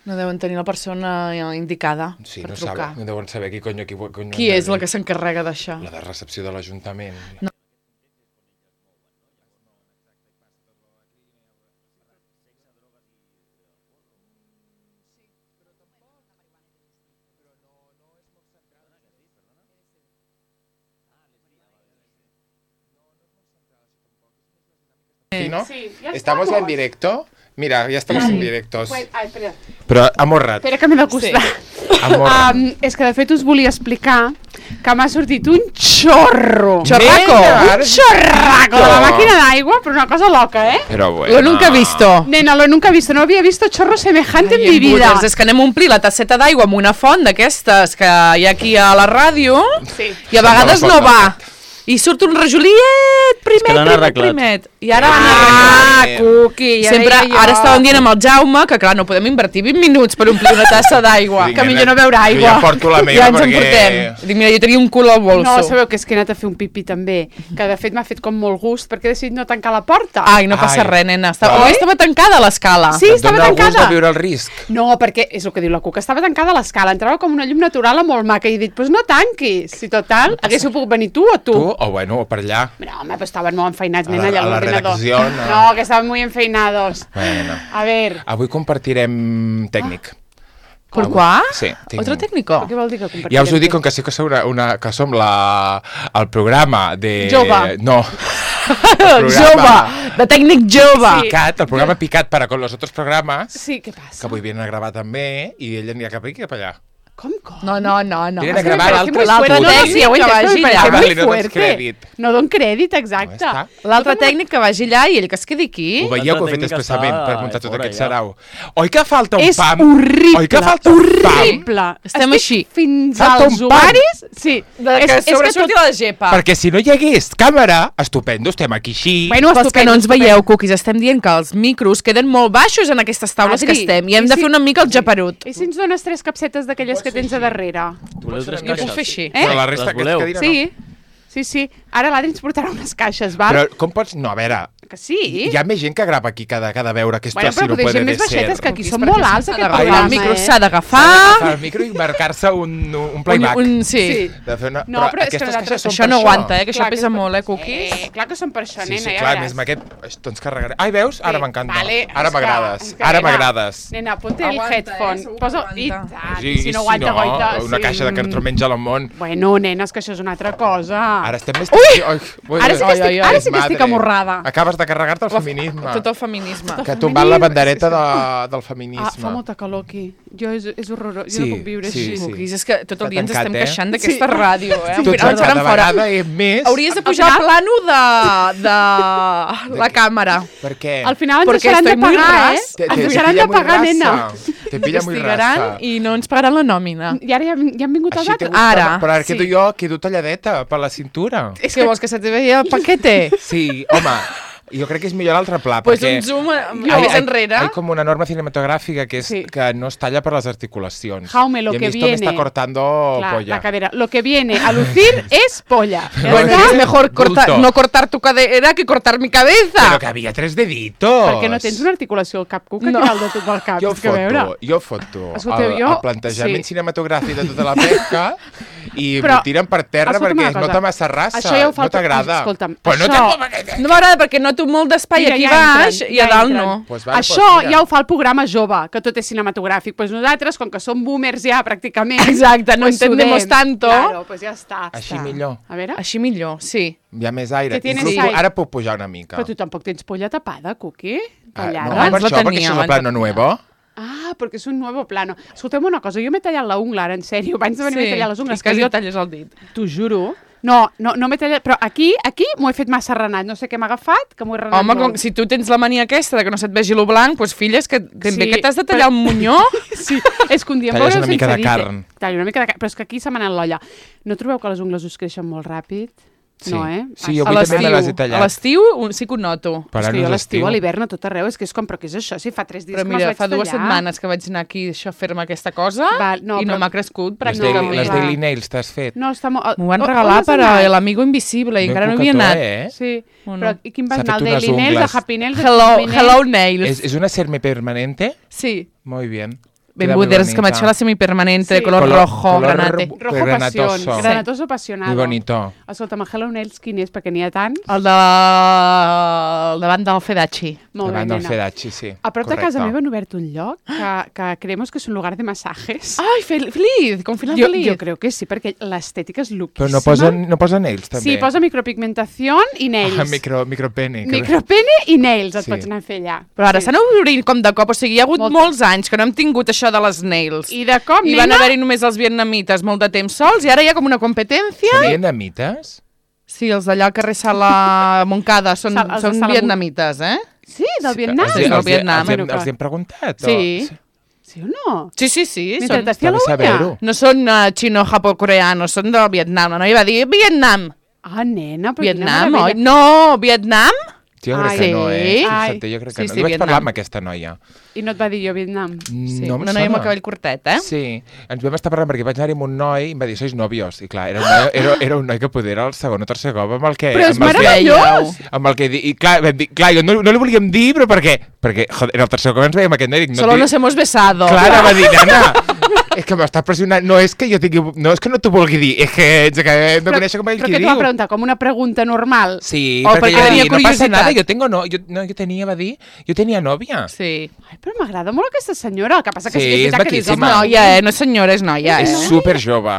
No deuen tenir la persona indicada per trucar. No deuen saber qui és la que s'encarrega d'això. La de recepció de l'Ajuntament. No. ¿no? Sí, ya ¿Estamos ya en directo? Mira, ya estamos en directos. Espera. Però amorra't. Espera que m'he d'acostar. És que de fet us volia explicar que m'ha sortit un xorro. Xorraco. Un xorraco de la màquina d'aigua, però una cosa loca, ¿eh? Però bueno. Lo nunca he visto. Nena, lo nunca he visto. No había visto chorro semejante en mi vida. És que anem a omplir la tasseta d'aigua amb una font d'aquestes que hi ha aquí a la ràdio i a vegades no va. I surt un rajoliet, primet. I ara han arreglat. Cuqui, ja Sempre, deia jo. ara estàvem dient amb el Jaume que, clar, no podem invertir 20 minuts per omplir una tassa d'aigua. Que millor no beure aigua. Jo ja porto la meva Ja ens en perquè... portem. Dic, mira, jo tenia un cul al bolso. No, sabeu que és que he anat a fer un pipí també, que de fet m'ha fet com molt gust perquè he decidit no tancar la porta. Ai, no passa res, nena. Oi? Estava tancada l'escala. Sí, estava Dóna tancada. gust de viure el risc. No, perquè és el que diu la Cuca, estava tancada l'escala, entrava com una llum natural molt maca i he dit, pues no tanquis, si total, haguéssiu pogut venir tu o tu. Tu? O bueno, o per allà. No, home, pues estaven molt enfeinats, nena, allà a la l'ordinador. redacció, no. No, que estaven muy enfeinados. Bueno. A ver. Avui compartirem tècnic. ¿Por qué? Sí. ¿Otro técnico? Què vol dir que compartirem? Ja us ho dic, com que sí que som el programa de... Jove. No. Jove, de tècnic jove. Sí. Picat, el programa Picat para con los otros programas. Sí, què passa? Que avui vienen a gravar també i ell anirà cap aquí i cap allà. Com? No. Vienen a gravar L'altre l'altre tècnic que vagi allà. Ah, vale, muy no dones fuerte. crèdit. No don crèdit, exacte. No, L'altre tècnic que vagi allà i ell que es quedi aquí. Ho veieu que ho he fet tècnic expressament està per muntar tot fora aquest ja. sarau. Oi que falta un És pam? horrible, Oi que falta un pam? horrible. Estem així. Fins Falta als un pam. ovaris. Sí. Que sobresurti la gepa. Perquè si no hi hagués càmera, estupendo, estem aquí així. Bueno, Pels que estupendo, no ens veieu, cookies, estem dient que els micros queden molt baixos en aquestes taules Adri, que estem i hem i de si- fer una mica el japerut. I si ens dones 3 capsetes d'aquelles que tens a darrere? Voleu tres Jo puc caixes? fer així. Eh? Però la resta Les que voleu? cadira Sí. Ara l'Adri ens portarà unes caixes, val? Però com pots... No, a veure, Que sí? hi ha més gent que grava aquí cada veure que esto Bueno, así però no potser puede gent més de ser. baixetes, que aquí Cookies, són perquè molt s'ha alts, aquest d'agafar. programa, El micro s'ha Agafar d'agafar. el micro i marcar-se un playback. Sí. De fer una... No, però és que aquestes nosaltres- caixes són Això per no aguanta, que això Clar, pesa que- molt, cookies. Clar que són per això, Sí, nena, sí, ja clar, veràs. més amb aquest... Esto ens carregaré. Ai, veus? Ara m'encanta. Vale, Ara és que- m'agrades. és que, Ara nena, m'agrades. Nena, ponte el Aguanta, headphone. segur que Posa... aguanta. I tant, Sí, si no aguanta, goita. una sí. caixa de cartró menja al món. Bueno, nena, és que això és una altra cosa. Ara estem més... Ara sí que estic- ara sí que estic amorrada. Acabes de carregar-te el feminisme. Tot el feminisme. Que ha tombat la bandereta del feminisme. Ah, fa molta calor aquí. És horrorós. Jo Sí, no puc viure sí, així. sí. Cookies, és que tot el dia ens tancat, estem eh? queixant d'aquesta ràdio, eh? Tu ets Ens faran cada fora. vegada més... Hauries de pujar al plano de la càmera. Per què? Al final ens Perquè deixaran de estoy muy pagar, eh? ras. Ens deixaran de pagar, nena. Te pilla muy Investigaran rasa. i no ens pagaran la nòmina. I ara ja han vingut els Així te altres. gusta, Ara, però ara sí. quedo jo, quedo talladeta per la cintura. És que vols que se te veia el paquete? Sí, home, jo crec que és millor l'altre pla, Pues perquè... un zoom més enrere. Hay como una norma cinematográfica que es Sí. que no es talla por las articulaciones. Jaume, lo y a que mí esto me viene... está cortando Clar, polla. la cadera. Lo que viene a lucir es polla. Ya Bueno, está. es mejor Bulto. no cortar tu cadera que cortar mi cabeza. Però que havia 3 deditos. Perquè no tens una articulació al cap, Cuca, No. que dalt de tot el cap. Jo És que a veure. foto Escolteu, el jo- plantejament sí. cinematogràfic de tota la pesca i Però, m'ho tiren per terra escolta'm perquè una es cosa. nota massa rasa. Això ja ho fa no el- t'agrada. escolta'm, Però no això- No m'agrada perquè noto molt d'espai Mira, aquí ja baix entren, i a ja dalt entren. no. Pues vale, Això pues mira. ja ho fa el programa jove, que tot és cinematogràfic. Pues nosaltres, com que som boomers ja, pràcticament... Exacte, no pues entendemos sudem. tanto. Claro, pues ja està. Així està. millor. A veure, Així millor, sí. Hi ha més aire. Que tienes Inclús aire. ara puc pujar una mica. però tu tampoc tens polla tapada, Cuqui? Ah, Tallada. no, Abans per la això, perquè tenia, això és abans el plano la tenia. nuevo. Ah, perquè és un nou plano. Escolteu una cosa, jo m'he tallat la ungla, ara, en sèrio, abans de venir m'he tallat les ungles. I quasi jo talles el dit. T'ho juro. No m'he tallat, però aquí m'ho he fet massa renat. No sé què m'ha agafat, que m'ho he renat Home, molt. si tu tens la mania aquesta de que no se't vegi lo blanc, doncs filla, és que ben bé Sí, que t'has de tallar però- un monyó. Sí, és que un dia em Talles veureu una mica sense de dit, carn. Tallo una mica de carn, però és que aquí se m'ha anat l'olla. No trobeu que les ungles us creixen molt ràpid? Sí. No, eh? Sí, jo A avui també me les he a tallat. l'estiu sí que ho noto. Per És que anar jo a a l'estiu, a l'hivern, a tot arreu, és que és com, però què és això? Si fa 3 dies Però que me'ls mira, vaig fa 2 tallar. setmanes que vaig anar aquí això, a fer-me aquesta cosa Val, no, i no però- m'ha crescut Les, pràcticament. les clar. Daily Nails t'has fet? No, està molt... M'ho van On regalar has per anat? l'amigo invisible i Ben encara no havia coquetó, anat. eh? Sí, O no? però i quin va S'ha anar? fet El unes Daily Nails, ungles. el Happy Nails, el Hello, Happy Nails? hello Nails. ¿Es una serme permanente? Sí. Muy bien. Ben buderes, que m'ha hecho la semipermanente de color rojo, granate. Rojo pasión. Granatoso apasionado. Muy bonito. Escolta, Hello Nails, quin és? Perquè n'hi ha tants. El davant del Fedachi. Molt bé, Davant del nena. Fedachi, sí. A prop de casa meva han obert un lloc que creemos que és un lugar de masajes. Ai, feliz, con final feliz. Jo crec que sí, perquè l'estètica és loquíssima. Però no posa nails, també. Sí, posa micropigmentació i nails. Micropene. Micropene i nails et Sí. pots anar a fer allà. Però ara s'han obrit com de cop, o sigui, hi ha hagut molts anys que no hem tingut això de les nails. I de cop, I van haver-hi només els vietnamites molt de temps sols, i ara hi ha com una competència. Són vietnamites? Sí, els d'allà al carrer Sala Montcada són vietnamites, eh? Sí, del Vietnam. Sí, del Vietnam. Els hem preguntat? Sí. Sí o no? Sí. Mentre t'estia la ulla? No són xino-japo-coreanos, són del Vietnam. La noia va dir Vietnam. Ah, nena, però Vietnam, oi? No, Vietnam? Jo crec que no, Fixa't, jo crec que no. Sí, Jo vaig parlar amb aquesta noia. I no et va dir jo Vietnam? Sí, No, una noia amb el cabell curtet, eh? Sí, ens vam estar parlant perquè vaig anar-hi amb un noi i em va dir, sois novios. I clar, era un noi que poder era el segon o tercer cop amb el que... Però és meravellós! Amb el que... I clar, vam dir, clar, jo no li volíem dir, però per què? Perquè, joder, era el tercer cop que ens veiem aquest noi. Solo nos hemos besado. Clar, va dir, nena, és que m'està pressionant. No és que jo tingui... No és que no t'ho vulgui dir, és que ens acabem de conèixer com ell qui diu. Però que t'ho va preguntar, com una pregunta normal? Sí, O perquè perquè va tenia dir, no passa curiositat. nada, jo tenia nòvia. Sí. Ai, però m'agrada molt aquesta senyora. El que passa que Sí, sí que és és veritat que dius, maquíssima. home, Noia, no és senyora, és noia, És eh? super jove.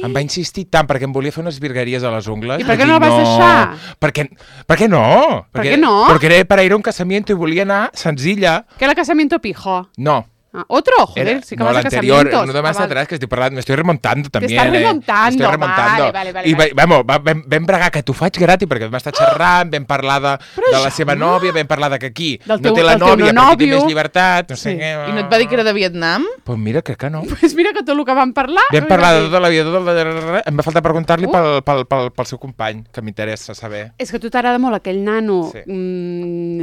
Em va insistir tant perquè em volia fer unes virgueries a les ungles. I per què Vaig no dir, la vas deixar? Per què no? Per què no? Porque era para ir a un casamiento i volia anar senzilla. que era casamiento pijo. No. Ah, otro, joder, sí que no, vas a l'anterior, casamientos. uno de más atrás, que estoy parlando, me estoy remontando también. estás remontando, Me estoy remontando. vale. I vam bregar que t'ho faig gratis, perquè vam estar xerrant, vam parlar de la seva nòvia, vam parlar de que aquí Del no teu- té la del teu nòvia, perquè té nòvio. més llibertat, no sé Sí. què. I no et va dir que era de Vietnam? Pues mira, crec que no. Pues mira que tot el que vam parlar... Vam parlar de tota la vida, em va faltar preguntar-li pel seu company, que m'interessa saber. És que a tu t'agrada molt aquell nano... Sí.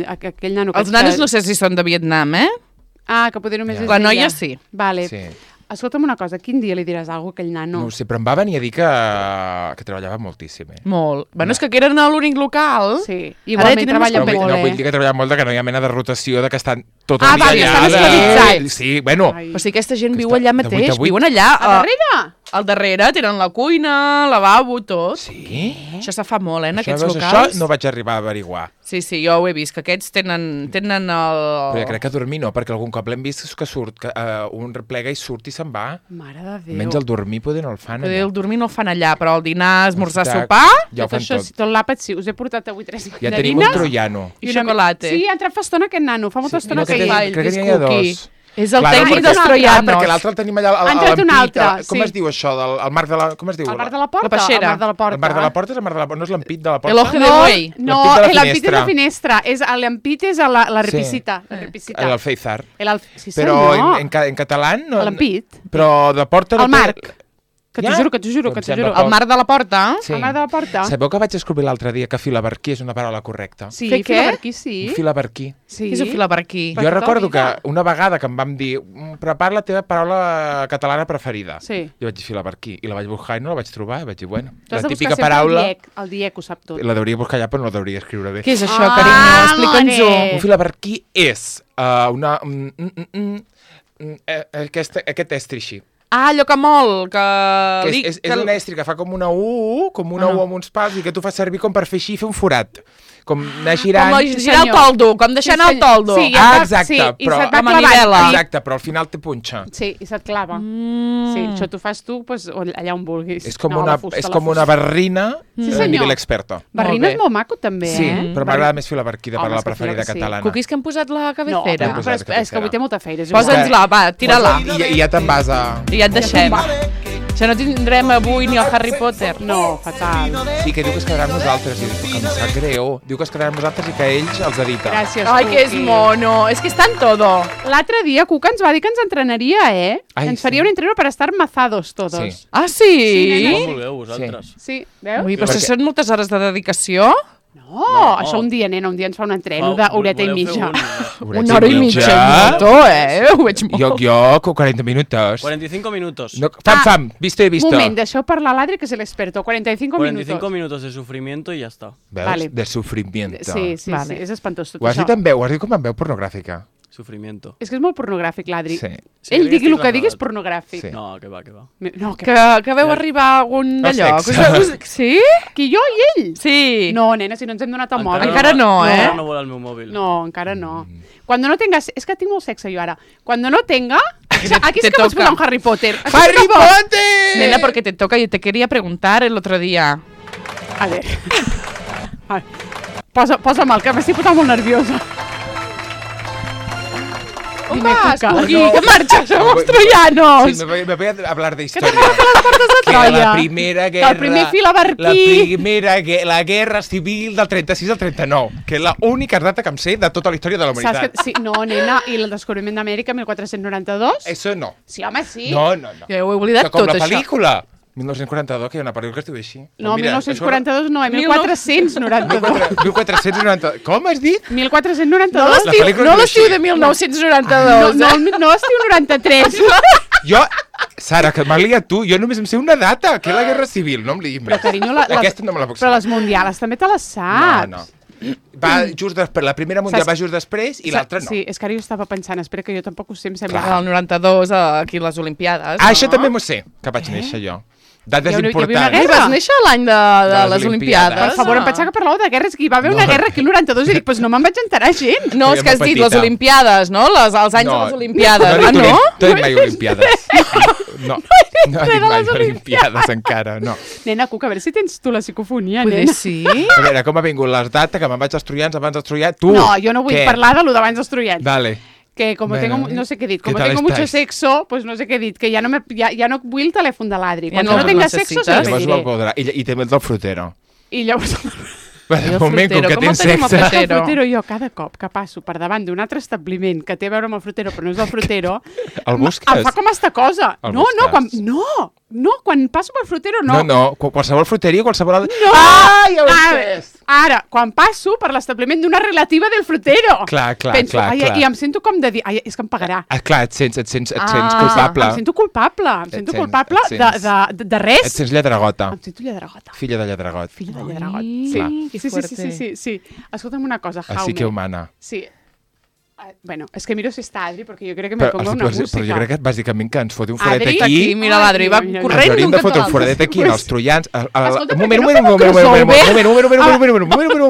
Aquell nano... Els nanos no sé si són de Vietnam, eh? Ah, que poder només Ja. és La d'ella. noia sí. Vale. Sí. Escolta'm una cosa, quin dia li diràs alguna cosa a aquell nano? No ho sé, però em va venir a dir que treballava moltíssim. Molt. Bueno, és que eren a l'únic local. Sí, Ara igualment tenen treballa més molt, No eh? vull dir que treballa molt, que no hi ha mena de rotació, de que estan tot el Ah, dia vale, allà. estan esclavitzats. Sí, bueno. Ai. O sigui, aquesta gent Que viu està allà de vuit a mateix, vuit. viuen allà. A darrere? Al darrere tenen la cuina, lavabo, tot. Sí? Això se fa molt, en aquests Veus, locals. Això no vaig arribar a averiguar. Sí, jo ho he vist, que aquests tenen el... Però jo crec que dormir no, perquè algun cop l'hem vist que surt, que un replega i surt i se'n va. Mare de Déu. Menys el dormir poder no el fan Poder allà. el dormir no el fan allà, però el dinar, esmorzar, Exacte. sopar Ja ho fan això, tot. tot l'àpat sí. Us he portat avui 3 Ja tenim un mandarines. troiano. i xocolata. Sí, ha entrat fa estona aquest nano. Fa molta estona no, que crec hi que n'hi ha cookie. dos. És el Clar, tècnic perquè- dels troianos. perquè l'altre el tenim allà Ha entrat un l'ampit, altre, com sí. es diu això? El marc de la... Com es diu? Al bar de la porta? La peixera. Al bar de la porta. El marc de la porta és el marc de la porta, no és l'ampit de la porta? El ojo de No, buey. no, L'ampit de la l'ampit és la finestra. L'ampit és la repisita. La repisita. El Feizar. Sí, Però senyor. en català no... L'ampit. Però de porta... no El té- marc. Que t'ho Ja? juro, que t'ho juro, Em que t'ho sembla juro. poc. El mar de la porta. Sí. El mar de la porta. Sabeu que vaig descobrir l'altre dia que filaberquí és una paraula correcta? Sí, Fer què? filaberquí, sí. Un filaberquí. Sí. Què és un fila per aquí? Per Jo tota recordo que vida. una vegada que em vam dir prepara la teva paraula catalana preferida. Sí. Jo vaig dir filaberquí i la vaig buscar i no la vaig trobar i vaig dir, bueno, Tu has la de típica buscar sempre paraula el diec ho sap tot. la deuria buscar allà però no la deuria escriure bé. Què és això, Ah, carinyo? Explica'ns-ho. more. Un filaberquí és una... aquest estri així. Ah, allò que mol, que... Que és un estri que fa com una U amb uns pals i que tu fas servir com per fer així i fer un forat. Com anar girant... Com girar el senyor. toldo, com deixar anar el toldo. Sí, Exacte, sí, i però... se't va amb clavant. manivela. Sí. Exacte, però al final té punxa. Sí, i se't clava. Sí, això t'ho fas tu pues, allà on vulguis. És com, No, una, la fusta, és la com una fusta. barrina Sí, a senyor. nivell experto. Barrina Molt és bé. molt maco, també, Sí, eh? però m'agrada més filaberquí de Home, parlar és que preferida sí. catalana. Cookies que hem posat la No, cabecera. però posat és que cabecera. avui té molta feina. Posa'ns-la, va, tira-la. I ja te'n vas a... I ja et deixem. Això no tindrem avui ni el Harry Potter. No, fatal. Sí, que diu que es quedaran nosaltres. I dic, que em sap greu. Diu que es quedaran nosaltres i que ells els edita. Gràcies, Ai, que és Cookie. mono. És que està en todo. L'altre dia Cuca ens va dir que ens entrenaria, eh? Ai, ens sí. faria un entreno per estar mazados todos. Sí. Ah, sí? nena. Com vulgueu, vosaltres. Sí, veus? Ui, però Perquè- això són moltes hores de dedicació. No, això un dia, nena, un dia ens fa un entreno d'horeta i mitja. Una hora i mitja. Molto, Ho veig molt. Jo, 40 minutos. 45 minutos. No, fam, visto y visto. Moment, deixeu parlar l'Adri, que és l'experto. 45 45 minutos. minutos de sufrimiento y ya está. Veus? Vale. De sufrimiento. Sí, Vale. és espantós tot Ho has això. dit amb veu, ho has dit com amb veu pornogràfica. Sufrimiento. És que és molt pornogràfic, l'Adri. Sí. Ell digui el que digui és pornogràfic. Sí. No, que va. No, Que veu arribar a algun d'allò. Sí? Qui, jo i ell? Sí. No, nena, si no ens hem donat el mòbil. Encara no, eh? Encara no vol el meu mòbil. No, encara no. Cuando no tengas... És que tinc molt sexe jo ara. Cuando no tenga... Aquí sí que pots posar un Harry Potter. ¡Harry Potter! Nena, porque te toca, yo te quería preguntar el otro día. A ver. Posa'm el, que m'estic posant molt nerviosa. On Dime, vas, Cuca. Cuqui? Que marxes a los troyanos? Sí, me voy a hablar de Que historia. t'han agafat les portes de Que Troia. la primera guerra... El primer filaberquí. La guerra civil del 36 al 39, que és l'única data que em sé de tota la història de la Saps humanitat. que... Sí, no, nena, i el descobriment d'Amèrica, 1492? Eso no. Sí, home, sí. No. Jo ho he oblidat Com tot, la això. pel·lícula. 1942, que hi ha una pel·lícula que es diu així. No, Mira, 1942 no, 1492. 1492. Com has dit? 1492. La pel·lícula No es l'estiu diu de així. 1992, No estiu 93. Jo, Sara, que m'ha liat tu, jo només em sé una data, que és la Guerra Civil, no em liguis més. Però, carinyo, Aquesta no me la puc però saber. les mundiales també te les saps. No. Va just després, la primera mundial va just després i l'altra no. Sí, és que ara jo estava pensant, espera que jo tampoc ho sé, em sembla. El 92, aquí les Olimpiades. Això també m'ho sé, que vaig néixer jo. Dades Hi havia una importants. guerra. Vas néixer l'any de les les Olimpiades. Olimpiades. Per favor, em pensava que parlàveu de guerres, que hi va haver una guerra aquí el 92 i dic, doncs no me'n vaig enterar gens. No, és que has dit les petita. Olimpiades, no? Els anys de les Olimpiades. No, No? no he dit mai Olimpiades. No he dit mai Olimpiades encara, no. Nena, Cuca, a veure si tens tu la psicofonia, Poder nena. sí? A veure, com ha vingut les dates, que me'n vaig als troians, abans dels troians, tu! No, jo no vull Què? parlar de lo d'abans dels troians. Dale. Que como Bueno, tengo, no sé qué decir, ¿qué como tal tengo mucho estáis? sexo, pues no sé qué decir, que ya no vull el telèfon de l'Adri. Ja Quan no no el tenga sexo, necessites. se lo Llavors pediré. me'l podrà. I també el del frutero. I llavors... De moment, com frutero, que com tens el tenim al sexe... frutero? El frutero, jo cada cop que passo per davant d'un altre establiment que té a veure amb el frutero però no és del frutero, El busques? em fa com esta cosa. El No, busques? quan passo pel frutero no. No, qualsevol fruteria, qualsevol... No! Ah, ja ho he Ara, entès! ara, quan passo per l'establiment d'una relativa del frutero. Clar, Penso, clar. I em sento com de dir, ai, és que em pagarà. Ah, clar, et sents culpable. Em sento culpable, Et de res. Et sents lladregota. Em sento lladregota. Filla de lladregot. Filla de lladregot. Ai, Sí. clar. que Sí, fuerte. sí. Escolta'm una cosa, Jaume. Així que humana. Sí. Bueno, és que miro si està Adri, perquè jo crec que me pongo una música. Però jo crec que bàsicament que ens foti un foradet Adri, aquí. Aquí, mira l'Adri, va Mira, corrent Ens hauríem d'un de fotre un cantó a foradet aquí en els troians. Escolta, Un per què no fem un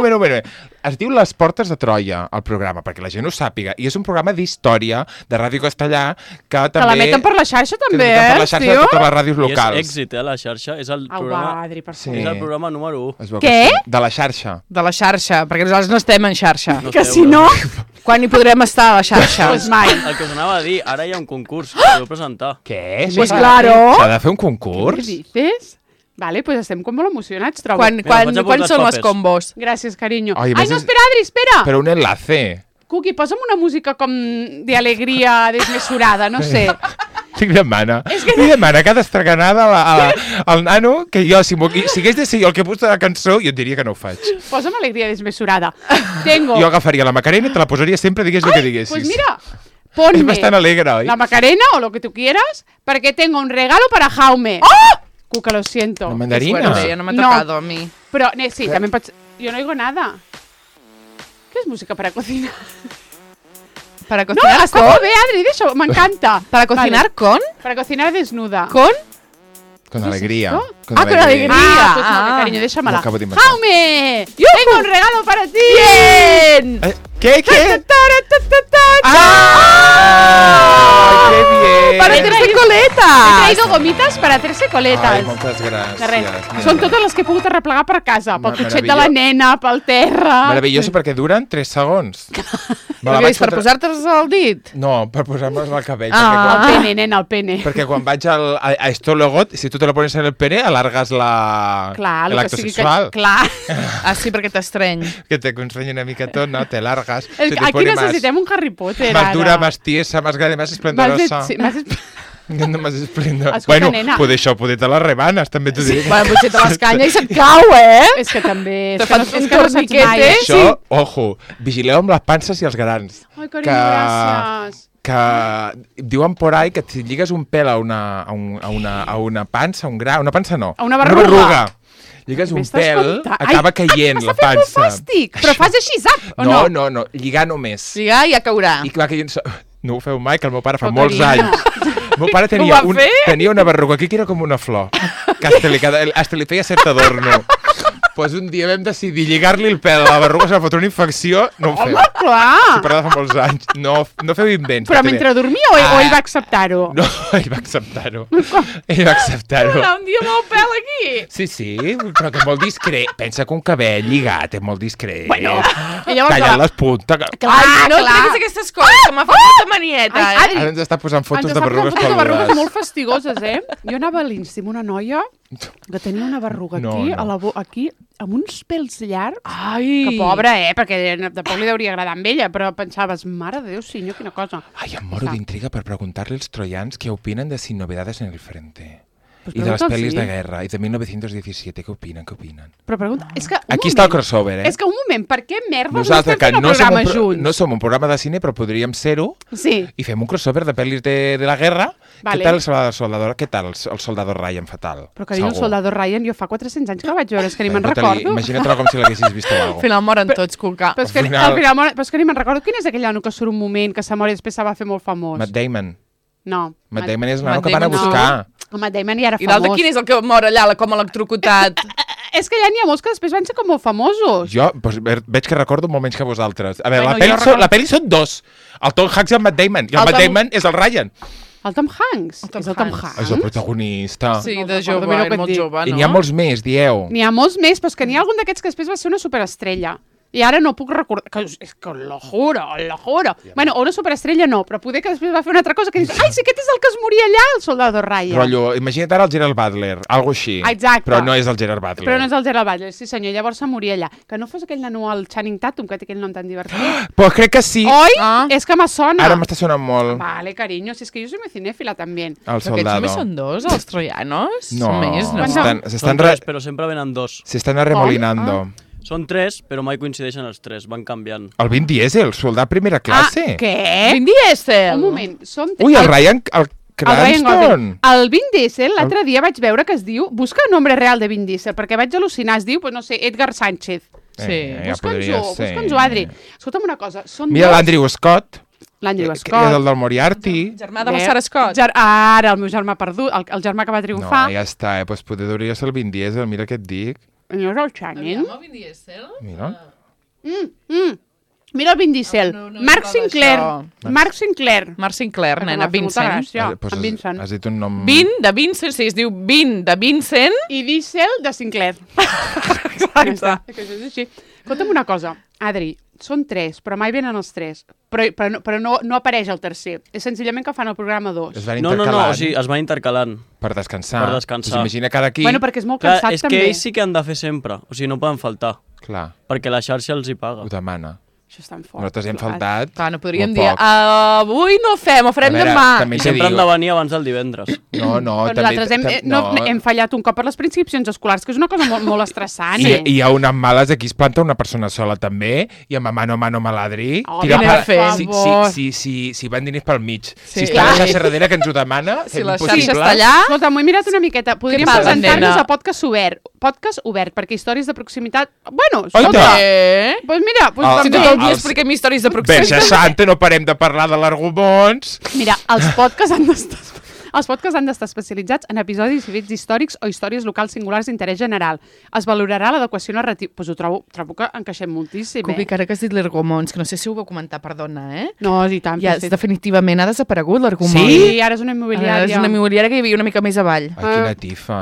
moment. Es diu Les Portes de Troia, el programa, perquè la gent ho sàpiga. I és un programa d'història de Ràdio Castellà que també... Que la meten per la xarxa, que també, la meten per la xarxa de totes les ràdios I és locals. èxit, la xarxa. És el Au, programa, va, Adri, per Sí. favor. és el programa número 1. Es veu Què? que sí. De la xarxa. De la xarxa, perquè nosaltres no estem en xarxa. No Que esteu, si no... Quan hi podrem estar a la xarxa? Pues mai. El que us anava a dir, ara hi ha un concurs, que podeu presentar. Què? Pues S'ha claro. de fer un Què concurs? dices? Vale, pues estem com molt emocionats, trobo. Quan Mira, vaig a quan portar són els les papers. combos? Gràcies, carinyo. Ai, a Ai, més no, és- espera, Adri, espera! Però un enlace. Cuqui, posa'm una música com d'alegria desmesurada, no sé. Li demana cada estreganada al nano que jo, si hagués de ser jo el que posa la cançó, jo et diria que no ho faig. Posa'm alegria desmesurada. Tengo... Jo agafaria la Macarena i te la posaria sempre, digués el que diguessis. Pues mira, ponme És bastant alegre, oi? la Macarena o lo que tú quieras, porque tengo un regalo para Jaume. ¡Oh! Cuca, lo siento. La mandarina. Fuerte, ja no m'ha No. tocado a mi. Pero, sí, también pots... Yo no oigo nada. ¿Qué es música para cocinar? Para No, cocinar està con? molt bé, Adri, deixa-ho, m'encanta. Para cocinar con? Para cocinar desnuda. Con? Con alegría. esto? Con alegría. Ah, pues Ah. molt bé, cariño, déjamela. Lo acabo de inventar. ¡Jaume! ¡Tengo un regalo para ti! Bien! ¿Qué? ¡Ah! ¡Ay, qué bien! Para He hacerse traído- He coletas! traído gomitas para hacerse coletas. Ai, moltes gràcies. De res. nena. Són totes les que he pogut arreplegar per casa. Pel cotxet de la Meravellós. nena, pel terra... Meravelloso perquè duren 3 segons. Me Què és, per posar-te's al dit? No, per posar-me's al cabell. El pene, nena, el pene. Perquè quan vaig a esto luego, si tu te lo pones en el pene, alargas Clar, el acto sexual. Clar. Ah, sí, perquè t'estreny. Que te constrenya una mica tot, ¿no? Te largas. El, se te aquí pone necessitem un Harry Potter, más ara. dura, más tiesa, más grande, más esplendorosa. Sí, No, más esplendorosa. Escolta, Bueno, nena. poder això, poder te les rebanes, també t'ho diré. Bueno, potser te les canya i se't cau, eh? És que també... Te És que no, fan un és que no saps torniquete. mai. Això, ojo, vigileu amb les panses i els grans. Ai, carinyo, gràcies. Que diuen por ahí que si lligues un pèl a una pansa, un gra, una pansa no, A una berruga. lligues un M'estàs pèl, contant? acaba caient la M'està fent molt pansa. fàstic, però fas així, zap, o no? No, lligar només. Lligar i ja caurà. I va caient... No ho feu mai, que el meu pare fa Però, molts carinyo. anys. El meu pare Ho va fer? tenia una berruga aquí que era com una flor, que hasta li feia cert adorno. Pues un dia vam decidir lligar-li el pèl a la berruga, se va fotre una infecció, no ho feu. Home, clar! Si parla fa molts anys. No feu invents. Però perquè mentre dormia o ell va acceptar-ho? No, ell va acceptar-ho. Ell va acceptar-ho. Un dia amb el pèl aquí. Sí, però que és molt discret. Pensa que un cabell lligat és molt discret. Bueno, i llavors... Tallant les puntes. Ai, no treguis aquestes coses, que m'ha fet molta manieta, Ai, eh? Adri, Ara ens està posant fotos ens de està posant berrugues fotos de berrugues peludes. molt fastigoses, eh? Jo anava a l'Insti amb una noia que tenia una berruga aquí, No. a la aquí, amb uns pèls llargs. Ai. Que pobra, perquè de poc li hauria agradar amb ella, però pensaves, mare de Déu, senyor, quina cosa. Ai, em moro d'intriga per preguntar-li als troians què opinen de Sin novedades en el frente. Pues I de les pregunta'ls, pel·lis sí. de guerra, i de 1917, què opinen? Però pregunta, és que Aquí està el crossover, eh? És que un moment, per què merda no Nosaltres, estem que fent un no som programa junts? no som un programa de cine, però podríem ser-ho, Sí, i fem un crossover de pel·lis de la guerra. Vale. Què tal el soldador? Què tal el soldador Ryan fatal? però que diu el Segur. soldador Ryan, jo fa 400 anys que la vaig veure, és que ni me'n Fota-li, recordo. Imagina't-la com si l'haguessis vist o Al alguna cosa. final moren tots, Cuca. Però és que, Al final- al final, però és que ni me'n recordo. Quin és aquell nano que surt un moment, que se mor i després se va fer molt famós? Matt Damon. No. Matt Damon és el nano Matt que van a Damon no. buscar. El Matt Damon ja era I l'altre famós. quin és el que mor allà, com electrocutat? És que ja n'hi ha molts que després van ser com molt famosos. Jo doncs, veig que recordo molt menys que vosaltres. A veure, Bueno, la, jo pel·li recordo- la pel·li són dos. El Tom Hanks i el Matt Damon. I el El Matt Tom- Damon és el Ryan. El Tom Hanks. Tom És el Tom Hanks. Hanks. És el protagonista. Sí, No de recordo, jove, mira què era et molt dic. jove, no? I n'hi ha molts més, dieu. N'hi ha molts més, però és que n'hi ha algun d'aquests que després va ser una superestrella. I ara no puc recordar... És que lo juro. Bueno, o una superestrella no, però poder que després va fer una altra cosa que dius, ai, sí, aquest és el que es moria allà, el soldador Ryan. Rotllo, imagina't ara el Gerard Butler, algo així. Exacte. Però no és el Gerard Butler. Però no és el Gerard Butler, sí senyor, llavors se moria allà. Que no fos aquell nano, el Channing Tatum, que té aquell nom tan divertit. Pues crec que sí. Oi? Ah. És que me sona. Ara m'està sonant molt. Vale, cariño, si és que jo soy muy cinéfila també. El Però aquests soldado. només són dos, els troianos? No, Són més, no? Són tres, però sempre venen dos. s'estan arremolinando. Són tres, però mai coincideixen els tres, van canviant. El Vin Diesel, soldat primera classe. Ah, què? Vin Diesel! Un moment, som... Ui, el Ryan, el el Ryan Cranston. Gosling. El Vin Diesel, l'altre dia vaig veure que es diu... Busca el nombre real de Vin Diesel, perquè vaig al·lucinar. Es diu, pues no sé, Edgar Sánchez. Sí. Ja podria ser. Busca'ns-ho, Adri. Escolta'm una cosa, són Mira dos... l'Andrew Scott, L'Andrew que és Scott. el del Moriarty. Germà de la Sarah Scott. Ara, el meu germà perdut, el germà que va No, triomfar. ja està, doncs poder hauria ser el Vin Diesel, mira què et dic. No és el Channing. Vin Diesel? Mira. Mira el Vin Diesel. No, no Marc és Sinclair. això. Marc Sinclair. Marc Sinclair, Que nena, m'ha fet molta Vincent. gràcia. Pues en Vincent. has dit un nom... Vin de Vincent, sí, es diu Vin de Vincent. I Diesel de Sinclair. Exacte. Que això és així. Escolta'm una cosa, Adri, són tres, però mai venen els tres. Però no apareix el tercer. És senzillament que fan el programa 2. Es van No, intercalant o sigui, es van intercalant. per descansar. per descansar. Pues imagina cada aquí... Bueno, perquè és molt Clar, cansat és que també. ells sí que han de fer sempre, o sigui, no poden faltar, Clar, perquè la xarxa els hi paga. ho demana. Això és tan fort. Nosaltres hem clar. faltat Clar, no podríem molt dir, poc. avui no fem, ho farem A veure, demà. també I t'he sempre dit- han de venir abans del divendres. No, no, Però nosaltres hem fallat un cop per les preinscripcions escolars, que és una cosa molt estressant. I hi ha unes males, aquí es planta una persona sola també, i amb mano a mano maladri. Oh, tira per pa- favor. si van diners pel mig. Sí. Si està la xarxa darrere que ens ho demana, Si fem la xarxa impossible. està allà... Escolta, m'ho he mirat una miqueta. Podríem passa, presentar-nos nena? a podcast obert, perquè històries de proximitat... Bueno, Oita! escolta, Eh? doncs mira, Ah, Si també... tot el dia Els- expliquem històries de Verge proximitat. Santa, no parem de parlar de l'argumons. Mira, els podcasts han d'estar... Els podcasts han d'estar especialitzats en episodis i fets històrics o històries locals singulars d'interès general. Es valorarà l'adequació narrativa. Doncs ho trobo que encaixem moltíssim, Cubi, que ara que has dit l'Ergomons, que no sé si ho vau comentar, perdona, eh? No, i tant. Ja, sí. definitivament ha desaparegut l'Ergomons. Sí, ara és una Ara immobiliària. és una immobiliària que hi havia una mica més avall. Ai, quina tifa.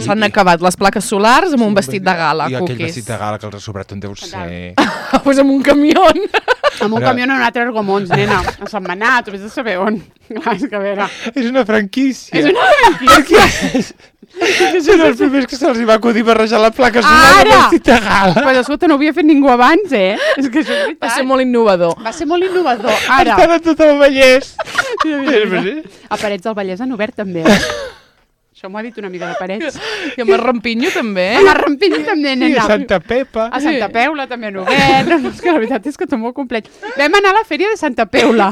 S'han acabat les plaques solars amb un vestit de gala, I aquell Cuquis. vestit de gala que els ha sobrat on deu ser. Pues amb un camió. Amb un Però- camió en un altre Ergomons, nena. A Sant Manat, vés a saber on. Clar, és que a veure... És una franquícia. És una franquícia. Són els primers que se'ls va acudir barrejar la placa solar amb Ara! vestit de gala. Però escolta, no ho havia fet ningú abans, eh? És que això és veritat. Va ser molt innovador. Va ser molt innovador. Ara, Estan a tot el Vallès. a Parets del Vallès han obert també. Eh? Això m'ho ha dit una amiga de Parets. I amb el Rampinyo també. Amb el Rampinyo també, I nena. a Santa Pepa. A Santa Peula també han obert. No, és que la veritat és que tot molt complet. Vam anar a la fèria de Santa Peula.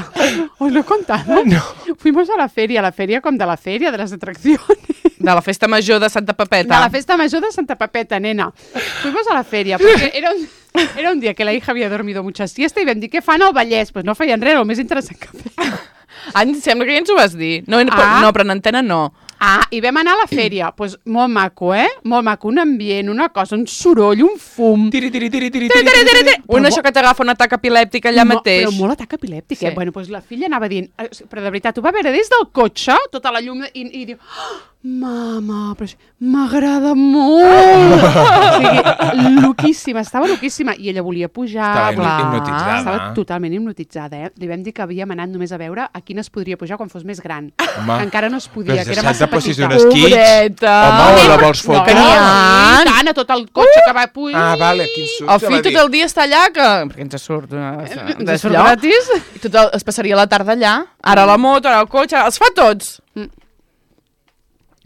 ¿Os lo he contado? No. Fuimos a la feria com de la feria, de les atraccions. De la festa major de Santa Pepeta. De la festa major de Santa Pepeta, nena. Fuimos a la feria, perquè era un dia que la hija havia dormido mucha siesta i vam dir, què fan al Vallès? Pues no feien res, el més interessant que feien. Sembla que ja ens ho vas dir. No, però en antena no. I vam anar a la fèria. Pues molt maco, Molt maco, un ambient, una cosa, un soroll, un fum. Tiri. Això que t'agafa un atac epilèptic allà mateix. Però molt atac epilèptic, Sí. Bueno, pues la filla anava dient, però de veritat, ho va veure des del cotxe, tota la llum, i diu, mama, però m'agrada molt. O sigui, loquíssima, estava loquíssima. I ella volia pujar. Estava hipnotitzada. Estava totalment hipnotitzada, Li vam dir que havíem anat només a veure a quines podria pujar quan fos més gran. Home. Que encara no es podia, Però que era s'ha massa de posar petita. un esquí. Pobreta. Home, o la vols fotre? que n'hi ha. I tant, a tot el cotxe que va pujar. Ah, vale, quin suc. El fill tot el dia està allà, perquè ens surt Ens surt gratis. I es passaria la tarda allà. Ara la moto, ara el cotxe, els fa tots.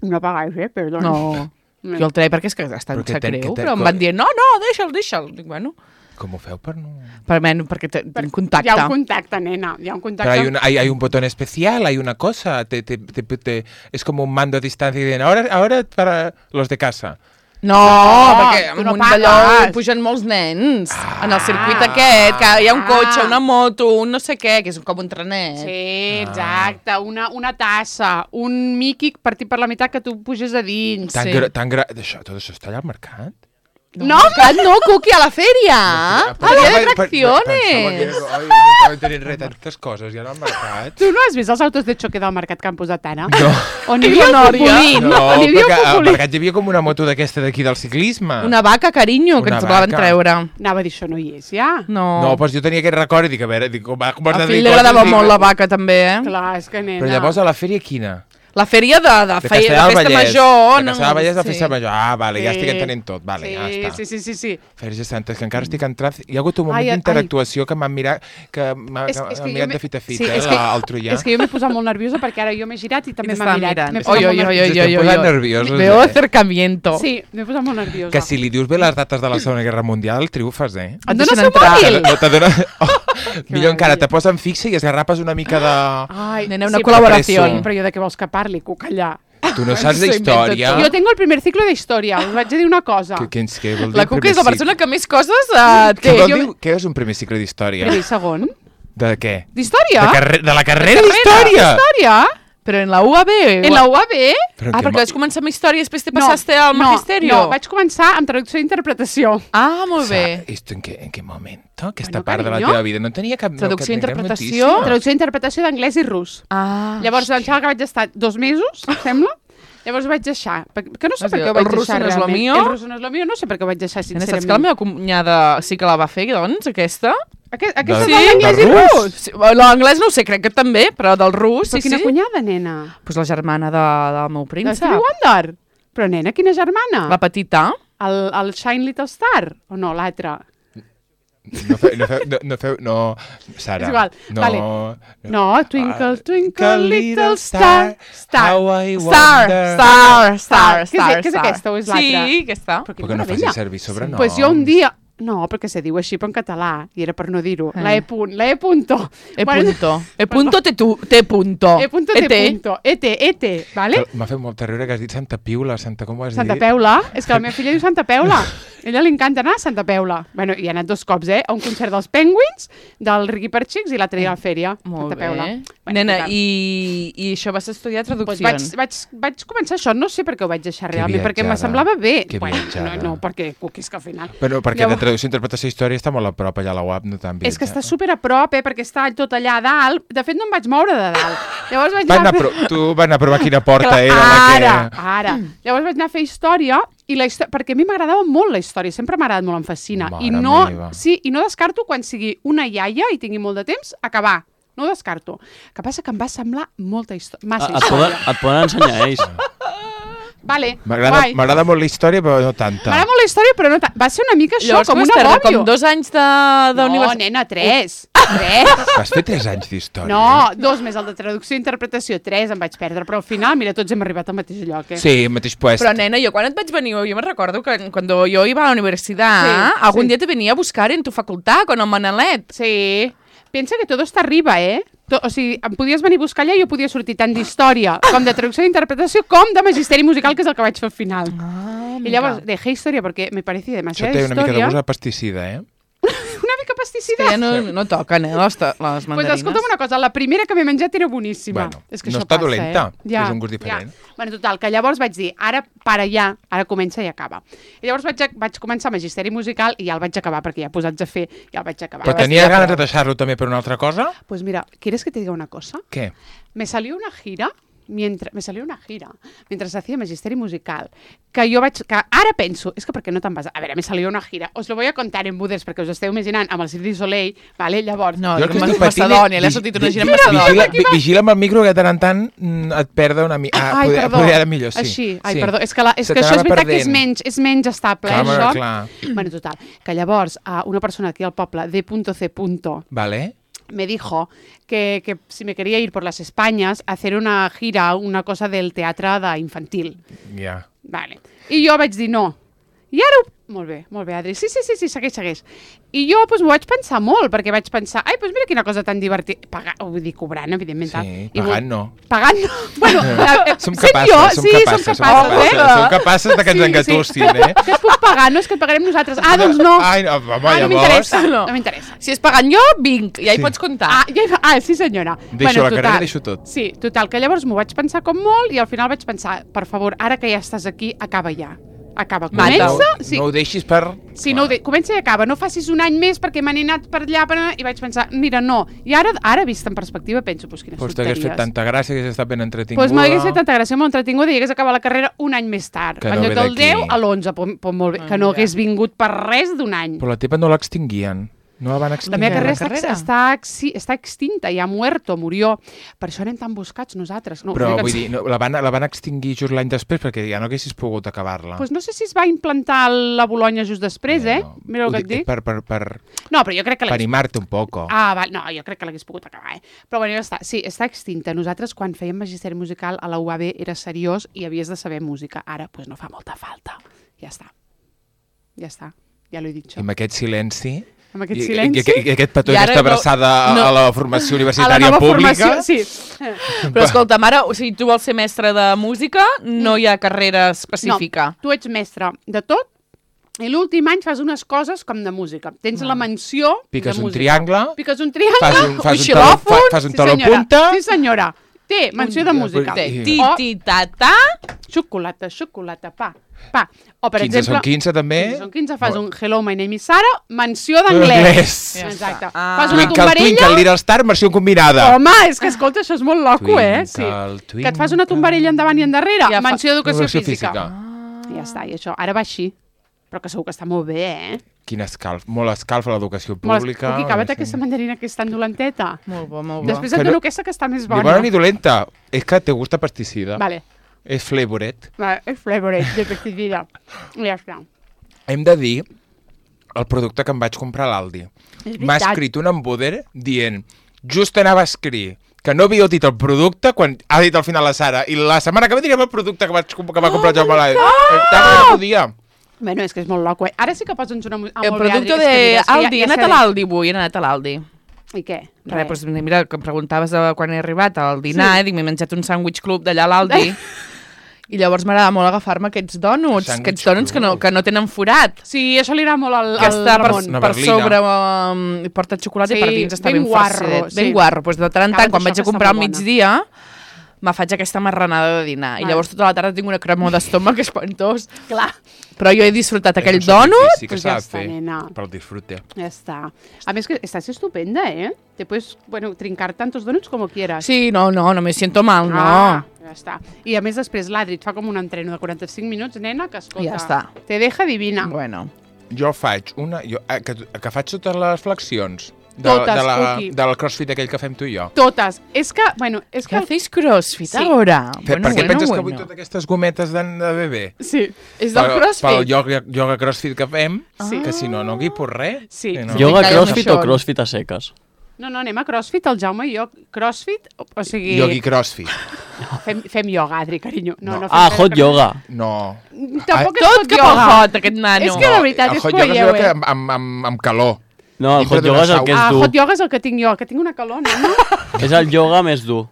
No pagáis, perdó. No. Jo el treia perquè és que està en Però que sap greu, que però em van dir, no, deixa'l. Dic, bueno, Com ho feu per no...? perquè tinc contacte. Hi ha un contacte, nena. Hi ha un contacte. Pero hay un botón especial, hay una cosa. Es como un mando a distancia y dicen, ahora para los de casa. No, perquè tu en no un d'allò pagues. pugen molts nens. En el circuit aquest, que hi ha un cotxe, una moto, un no sé què, que és com un trenet. Sí, exacte. Una tassa, un Mickey partit per la meitat que tu puges a dins. Tan Sí. Tot això està allà al mercat? No, Cuqui, a la fèria. A la de atracciones. No tenien res, tantes coses, ja no al mercat. Tu no has vist els autos de xoque del mercat que han posat ara? No. On hi havia un populí. No, On hi havia perquè un al populí. mercat hi havia com una moto d'aquesta d'aquí del ciclisme. Una vaca, carinyo, que Una ens volen vaca. treure. Anava a dir, això no hi és, ja. No, No, doncs jo tenia aquest record i dic, a veure, com has al de fill dir li agradava coses, molt dic, la vaca, també, Clar, és que nena. Però llavors a la fèria quina? La fèria de De festa Castellar del Vallès. major. De Castellar del Vallès de Sí. festa major. Ah, vale, ja Sí. estic entenent tot. Vale, ja està. Sí. Fèries Santes, que encara estic entrant... Hi ha hagut un moment Ai, d'interactuació que m'han mirat, que m'ha És que mirat jo de fita a sí, fita, és que- el troià. És que jo m'he posat molt nerviosa perquè ara jo m'he girat i també I m'ha t'estava mirat. mirant. M'he posat molt nerviosa. Estem posant nerviosos, Veo acercamiento. Sí, m'he posat molt nerviosa. Que si li dius bé les dates de la Segona Guerra Mundial, triomfes, eh? Et Dona deixen seu entrar. mòbil. No t'adona... Millor encara, meravella. te posen fixa i esgarrapes una mica de... Ai, Nena, una sí, col·laboració. Però, però jo de què vols que parli, cucallà? Tu no saps S'ho inventa d'història? tot. Jo tengo el primer ciclo de història, us vaig a dir una cosa. Què vol dir La el Cuca primer és la cicle? persona que més coses Què té. vol dir? Què és un primer cicle d'història? Primer i segon. De què? D'història? De la carrera d'història! Història? Però en la UAB. En la UAB? Però Ah, que perquè vas començar amb història i després te passaste al magisterio. No, vaig començar amb traducció i interpretació. Ah, molt bé. ¿Esto en qué momento? Aquesta Bueno, part de la carinyo. teva vida no tenia cap... Traducció i no, cap interpretació. notícia. Traducció i interpretació d'anglès i rus. Ah. Llavors, em sembla que vaig estar 2 mesos, sembla. Llavors vaig deixar. Que no sé per què ho vaig El russo deixar no és lo realment. mío? El russo no és lo mío, no sé per què ho vaig deixar, Nena, sincerament. saps que la meva cunyada sí que la va fer, doncs, aquesta? Aquesta De- és Sí? d'anglès de i rus? rus. Sí, l'anglès no ho sé, crec que també, però del rus, Però sí, quina sí. cunyada, nena? Pues la germana del meu De príncep. Stevie Wonder? Però, nena, quina germana? La petita. El Shine Little Star? O no, l'altre? No, Sara. És igual, No, vale. No, Twinkle, Twinkle, Little Star. How I Star. Què és aquesta o és l'altra? Sí, aquesta. Però Perquè quina no facis meravella. servir sobrenoms. Pues jo un dia... No, perquè se diu així, però en català, i era per no dir-ho. La E punto. E punto. E punto te punto. E punto te punto. E-te, vale? M'ha fet molta riure que has dit Santa Piula, com ho has Santa dit? Peula. És que la meva filla diu Santa Peula. A ella li encanta anar a Santa Peula. Bueno, i he anat 2 cops, a un concert dels Penguins, del Riqui per Xics, i l'altre dia a la fèria. Molt Santa bé. Peula. Nena, total. i això vas estudiar Pues traduccions. vaig començar això, no sé per què ho vaig deixar Que realment, perquè me viatjada. semblava bé. Que viatjada. No, perquè és que al final... Però perquè Llavors- de traducció, interpretació i història està molt a prop allà a la UAP, no tan És que està super a prop, perquè està tot allà a dalt. De fet, no em vaig moure de dalt. Llavors vaig anar a fer... Tu vas anar a provar quina porta Clar, era la que... Ara. Llavors vaig anar a fer història, i perquè a mi m'agradava molt la història, sempre m'ha agradat molt, em fascina. Mare I no, meva. sí, i no descarto quan sigui una iaia i tingui molt de temps, acabar. No ho descarto. El que passa que em va semblar molta massa història. Et poden ensenyar ells. Vale, guai. M'agrada molt la història, però no tanta. M'agrada molt la història, però no va ser una mica això, Llavors, com vas un perdre agòbio. com 2 anys No, d'universitat. nena, 3. 3? Vas fer 3 anys d'història. No, 2 més el de traducció i interpretació, 3 em vaig perdre, però al final, mira, tots hem arribat al mateix lloc, Sí, el mateix puesto. Però, nena, jo quan et vaig venir, jo me recordo que cuando yo iba a la universidad, Sí, algún sí. día te venía a buscar en tu facultad con el Manalet. Sí. Pensa que tot està arriba, O sigui, em podies venir a buscar allà i jo podia sortir tant d'història com de traducció d'interpretació com de magisteri musical, que és el que vaig fer al final. I llavors, dejé història perquè me parecía Això demasiada té una mica de història. gust de pesticida, Una mica pesticida. Ja no toquen, les mandarines. Pues escolta'm una cosa, la primera que m'he menjat era boníssima. Bueno, és que no això està passa, dolenta, Ja, és un gust diferent. Ja. Bueno, total, que llavors vaig dir, ara para ja, ara comença i acaba. I llavors vaig començar magisteri musical i ja el vaig acabar, perquè ja posats a fer, ja el vaig acabar. Però tenies ganes de deixar-lo també per una altra cosa? Pues mira, ¿quieres que te diga una cosa? Què? Me salió una gira mientras hacía Magisteri Musical, que jo que ara penso, és que per què no te'n vas? A veure, me salió una gira, os lo voy a contar en Buders, perquè us esteu imaginant amb el Cirque du Soleil, vale? Llavors... No, Jo el que estic patint Macedònia, l'he sortit una gira a Macedònia. Vigila amb el micro que de tant en tant et perda una mica. Ai, perdó. Poder ara millor, sí. Així, ai, Sí. perdó. És que Se això és t'anava veritat que és perdent. menys estable, Clar, això. clar. Bueno, total, que llavors una persona aquí al poble, D.C. Vale. me dijo que si me quería ir por las Españas a hacer una gira, una cosa del teatre infantil. Ja. Vale. I jo vaig dir no. I ara... Molt bé, Adri. Sí, segueix. I jo doncs, m'ho vaig pensar molt, perquè vaig pensar, ai, doncs mira quina cosa tan divertida. Vull dir, cobrant, evidentment. Sí, pagant no. Pagant no. Bueno, Som sent capaces, jo, som sí, capaces, som capaces, som capaces de que ens engatussin, Que et puc pagar, no és que et pagarem nosaltres. Ah, doncs no. Ai, no, home, no llavors... m'interessa, No. no m'interessa. Si és pagant jo, vinc, ja hi Sí. pots comptar. Sí senyora. Deixo la carrera, deixo tot. Sí, total, que llavors m'ho vaig pensar com molt i al final vaig pensar, per favor, ara que ja estàs aquí, acaba ja. Acaba. Mata-ho. Comença... No ho deixis per... Sí, comença i acaba. No facis un any més perquè me n'he anat per allà i vaig pensar, mira, no. I ara vist en perspectiva, penso, quines Pues t'hagués fet tonteries. tanta gràcia, hagués estat ben entretinguda. Doncs m'hagués fet tanta gràcia, molt entretinguda i hagués acabat la carrera un any més tard. Que En no lloc ve del d'aquí. 10 a l'11, pues molt bé. Que no hagués vingut per res d'un any. Però la teva no l'extinguien. No la van La extingir. meva carrera la carrera. està extinta, ja murió. Per això anem tan buscats nosaltres. No, Però vull vull dir, no, la van extingir just l'any després perquè ja no haguessis pogut acabar-la. Pues no sé si es va implantar la Bologna just després, No. Mira el Ho que et dic. Per No, però jo crec que animar-te un poco. no, jo crec que l'hagués pogut acabar, Però bueno, ja està. Sí, està extinta. Nosaltres, quan fèiem magisteri musical a la UAB, era seriós i havies de saber música. Ara, pues no fa molta falta. Ja està. Ja l'he dit, I això. amb aquest silenci... Amb aquest silenci... I aquest petó I i ara aquesta abraçada a la formació A la universitària nova pública... formació, sí. Però escolta'm, ara, o sigui, tu vols ser mestre de música, no hi ha carrera específica. No, tu ets mestre de tot i l'últim any fas unes coses com de música. Tens la menció Piques de un música. triangle, Piques un triangle, fas un xilòfon, fas un taló senyora. punta... Sí, senyora. Té menció de música. Té I- ti-ti-ta-ta. Xocolata, pa. O, per 15 exemple... són 15, també. 15 són 15, fas un Hello, my name is Sara, menció d'anglès. Anglès. Ja Exacte. està. Fas una Twinkle, tombarella... Twinkle, Little Star, versió combinada. Home, és que escolta, això és molt loco, Sí. Twinkle, Que et fas una tombarella endavant i endarrere, Ja fa- menció d'educació Educació física. física. Ja està, i això ara va així. Però que segur que està molt bé, Quin escalf, molt escalf a l'educació Molt pública. Puc acabar aquesta mandarina que és tan dolenteta. Molt bo, molt bo. Després Que et no- dono aquesta que està més Ni bona. bona ni dolenta. És que te gusta pesticida. Vale, És flavoret. és flavoret de pesticida. Ja està. Hem de dir el producte que em vaig comprar a l'Aldi. És M'ha veritat. escrit un embuder dient just anava a escriure que no havia dit el producte quan ha dit al final la Sara i la setmana que ve direm el producte que va comprar el Jaume Lai. No podia. Bueno, és que és molt loco, Ara sí que posa'ns una música. El producte d'Aldi, he anat a l'Aldi avui, he anat a l'Aldi. I què? Res, doncs mira, que em preguntaves quan he arribat al dinar, dic, m'he menjat un sandwich club d'allà a l'Aldi, i llavors m'agrada molt agafar-me aquests dònuts, que no tenen forat. Sí, això li agrada molt al Que està per Ramon. Una per berlina. sobre, porta xocolata Sí, i per dins està ben ben guarro, farcidet. sí. Ben guarro. Doncs de tant en Acaba tant, quan d'això vaig a que està comprar al molt bona. migdia, me faig aquesta marranada de dinar. I Vale. llavors tota la tarda tinc una cremor d'estómac espantós. Clar. Però jo he disfrutat aquell És un sacrifici dònut. que Pues s'ha ja de està, fer nena. per al disfrute. Ja està. A més que estàs estupenda, Te puedes, trincar tantos donuts como quieras. Sí, no me siento mal, no. Ja està. I a més després l'Adri et fa com un entreno de 45 minuts, nena, que escolta, Ja està. te deja divina. Bueno. Jo faig que faig totes les flexions Totes, Cookie. del crossfit aquell que fem tu i jo. Totes. És que, és ¿Qué que... hacéis crossfit Sí. ahora? Per què penses que vull totes aquestes gometes de bebè? Sí. És del Pel crossfit? yoga crossfit que fem, Sí. que si no, no guipo res. Sí. Que no. Yoga Calla amb crossfit això. o crossfit a seques? No, anem a CrossFit, el Jaume i jo. CrossFit, o sigui... Yogi CrossFit. No, fem yoga, Adri, carinyo. No, hot yoga. No. Tampoc és Tot hot cap al yoga. hot, aquest nano. És que de veritat El és hot yoga polleu, és el que amb calor. No, el Dintre hot yoga és el que és dur. hot yoga és el que tinc jo, que tinc una calor, no? És el yoga més dur.